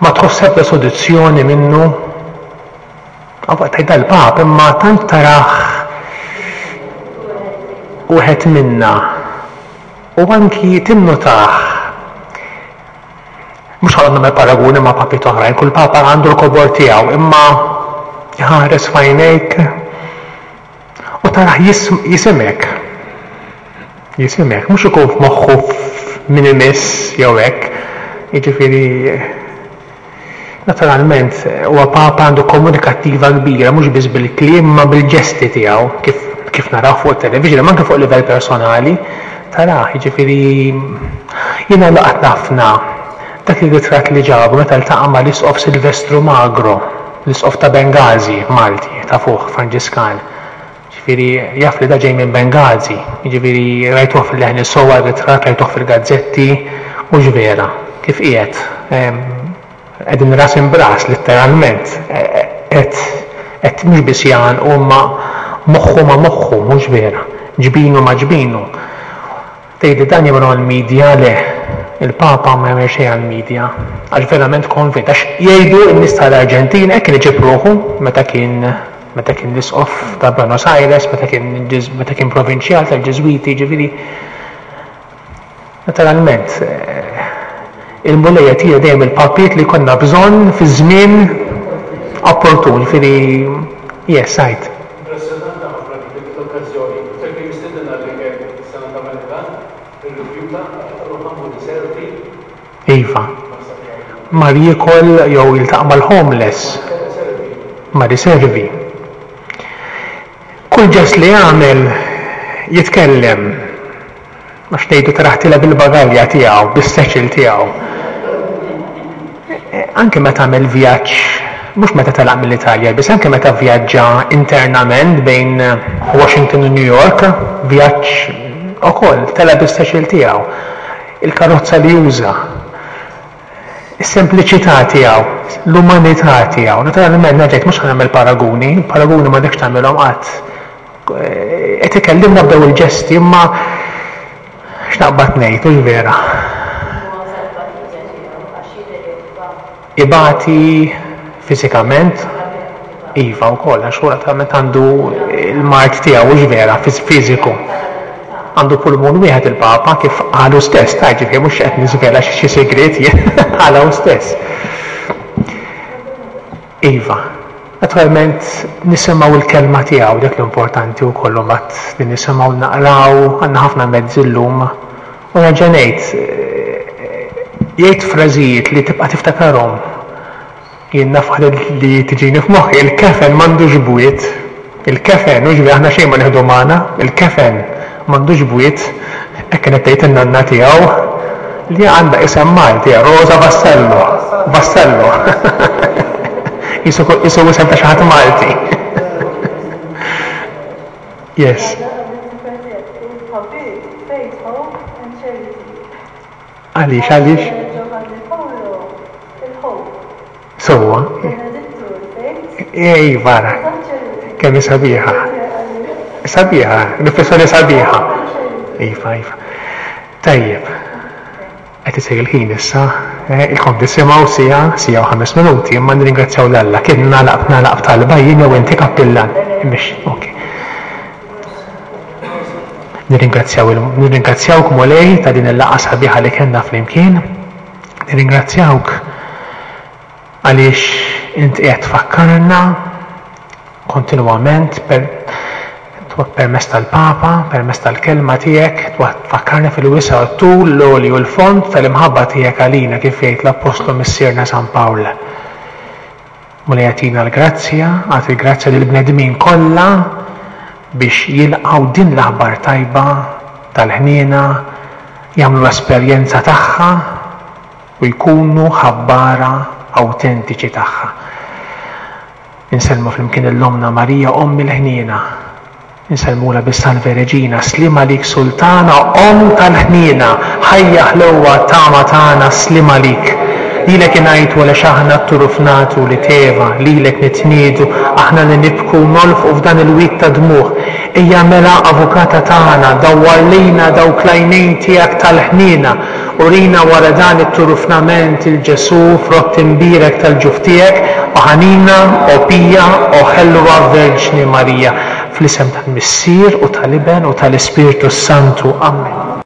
ma tħoss ebda soluzzjoni minnu. Għaw tgħid dal-Papa, imma tant tarah wieħed minna. U anki tinnotah. Mhux ħa nagħmel paraguni ma' papi oħrajn, kull papa għandu l-kobor tiegħu, imma jħares f'għajnejk u tarah jisimek. Jisimek, mhux ikun f'moħħu min imiss jew hekk. Jiġifieri naturalment huwa papa għandu komunikattiva kbira, mhux biss bil-kliem ma bil-ġesti tiegħu, kif, kif naraw fuq it-television, ma anke fuq livell personali, tarah, jiġifieri jiena laqat ħafna dak ir-ritratt li ġabu meta ltaqa' mal-Isqof Silvestru Magro, l-Isqof ta' Benghazi, Malti, ta' fuq Franġiskan. Jiġifieri jaf li da ġej minn Benghazi, jiġifieri rajtuh fil-leħen is-sowa r-ritratt, rajtuh fil-gazzetti, mhux vera, kif qiegħed. Qegħdin ras imbras letteralment, qed qed mhux biss jgħanqu imma moħħu ma moħħu, mhux vera, ġbinu ma ġbinu. Tgħidli dan jagħmlu għall-media, le, il-Papa ma jagħmel xejn għall-media, għax verament konvint, għax jgħidu n-nies tal-Arġentina hekk kien iġib ruħu meta kien meta kien l-isqof ta' Buenos Aires, meta kien meta kien provinċjal tal-Ġiżwiti, ġifieri. Naturalment, il-Mulej jagħtina dejjem il-papiet li konna bżonn fi żmien opportun, ġifieri, yes, għid. Impressjonant ħafna L-okkażjoni, meta kien mistieden għall-ikel is-sena ta' Vatikan, irrifjuta għax qalu ħa mmur inservi. Iva. Mar jiekol jew jiltaqa' mal-homeless. Mar iservi. Kull ġest li jagħmel jitkellem. Għax ngħidu tarah tiela' bil-bagalja tiegħu, bis-satchel tiegħu. Anke meta għamel vjaġġ, mhux meta telaq mill-Italja, biss anke meta vjaġġa internament bejn Washington u New York, vjaġġ ukoll tela' bis-satchel tiegħu. Il-karozza li juża, is-sempliċità tiegħu, l-umanità tiegħu. Naturalment nerġa' mhux ħa nagħmel paraguni, paraguni m'għandekx tagħmilhom qatt. Qed ikellimna b'daw il-ġesti, imma x'naqbad ngħid, hux vera. Ibati fiżikament, iva wkoll, għax hu naturalment għandu l-mard tiegħu, hux vera, fiżiku. Għandu pulmun wieħed il-Papa, kif qalu stess, ta' ġifieri mhux qed niżvela xi sigriet jien, qalha hu stess. Iva, naturalment nisimgħu l-kelma tiegħu, dak l-importanti wkoll imbagħad li nisimgħu naqraw, għandna ħafna mezzi llum. U nerġa' ngħid, jgħid frażijiet li tibqa' tiftakarhom. Jien naf waħda li tiġini f'moħħi, il-kefen m'għandux bwiet. Il-kefen, hux vera, aħna xejn ma nieħdu magħna, il-kefen m'għandux bwiet, hekk kienet tgħid in-nanna tiegħu li għandha isem Malti, Rosa Vassallo. Vassallo. Jisu isem ta' xi ħadd Malti. Yes. Għaliex, għaliex? Sewwa. Ej, vara. Kemm hi sabiħa. Sabiħa, riflessjoni sabiħa. Iva, iva. Tajjeb. Qed isir il-ħin issa, ilkom tisimgħu siegħa, siegħa u ħames minuti, imma nirringrazzjaw 'l Alla. Kien nagħlaq nagħlaq b'talba jien jew inti kappillan. Mhix, ok. Nirringrazzjaw nirringrazzjawk Mulej ta' din il-laqgħa sabiħa li kellna flimkien. Nirringrazzjawk għaliex int qiegħed tfakkarna kontinwament per permezz tal-Papa, permezz tal-kelma tiegħek, tfakkarna fil-wisa' tul l-għoli u l-fond tal-imħabba tiegħek għalina kif jgħid l-Appostlu Missierna San Pawl. Mulej agħtina l-grazzja, agħti l-grazzja lill-bnedmin kollha biex jilqgħu din l-aħbar tajba tal-ħniena, jagħmlu l-esperjenza tagħha u jkunu ħabbara awtentiċi tagħha. Insellmu flimkien l-Ommna Marija, Omm il-Ħniena. Insellmula bis-Salve Reġina, sliem għalik Sultana, Omm tal-Ħniena, ħajja ħlewwa tama tagħna, sliem għalik. Lilek ingħajtu għaliex aħna t-turuf nagħtu li teva, lilek nitniedu, aħna li nibku nolfqu f'dan il-wied ta' dmugħ. Ejja mela avukata tagħna, dawwar lejna dawk l-għajnejn tiegħek tal-ħniena, urina wara dan it-turufnament il-Ġesù frott imbierek tal-ġuf tiegħek, o ħanina, o pija, o ħelwa Verġni Marija. Fl-isem tal-Missier u tal-Iben u tal-Ispirtu Santu. Amen.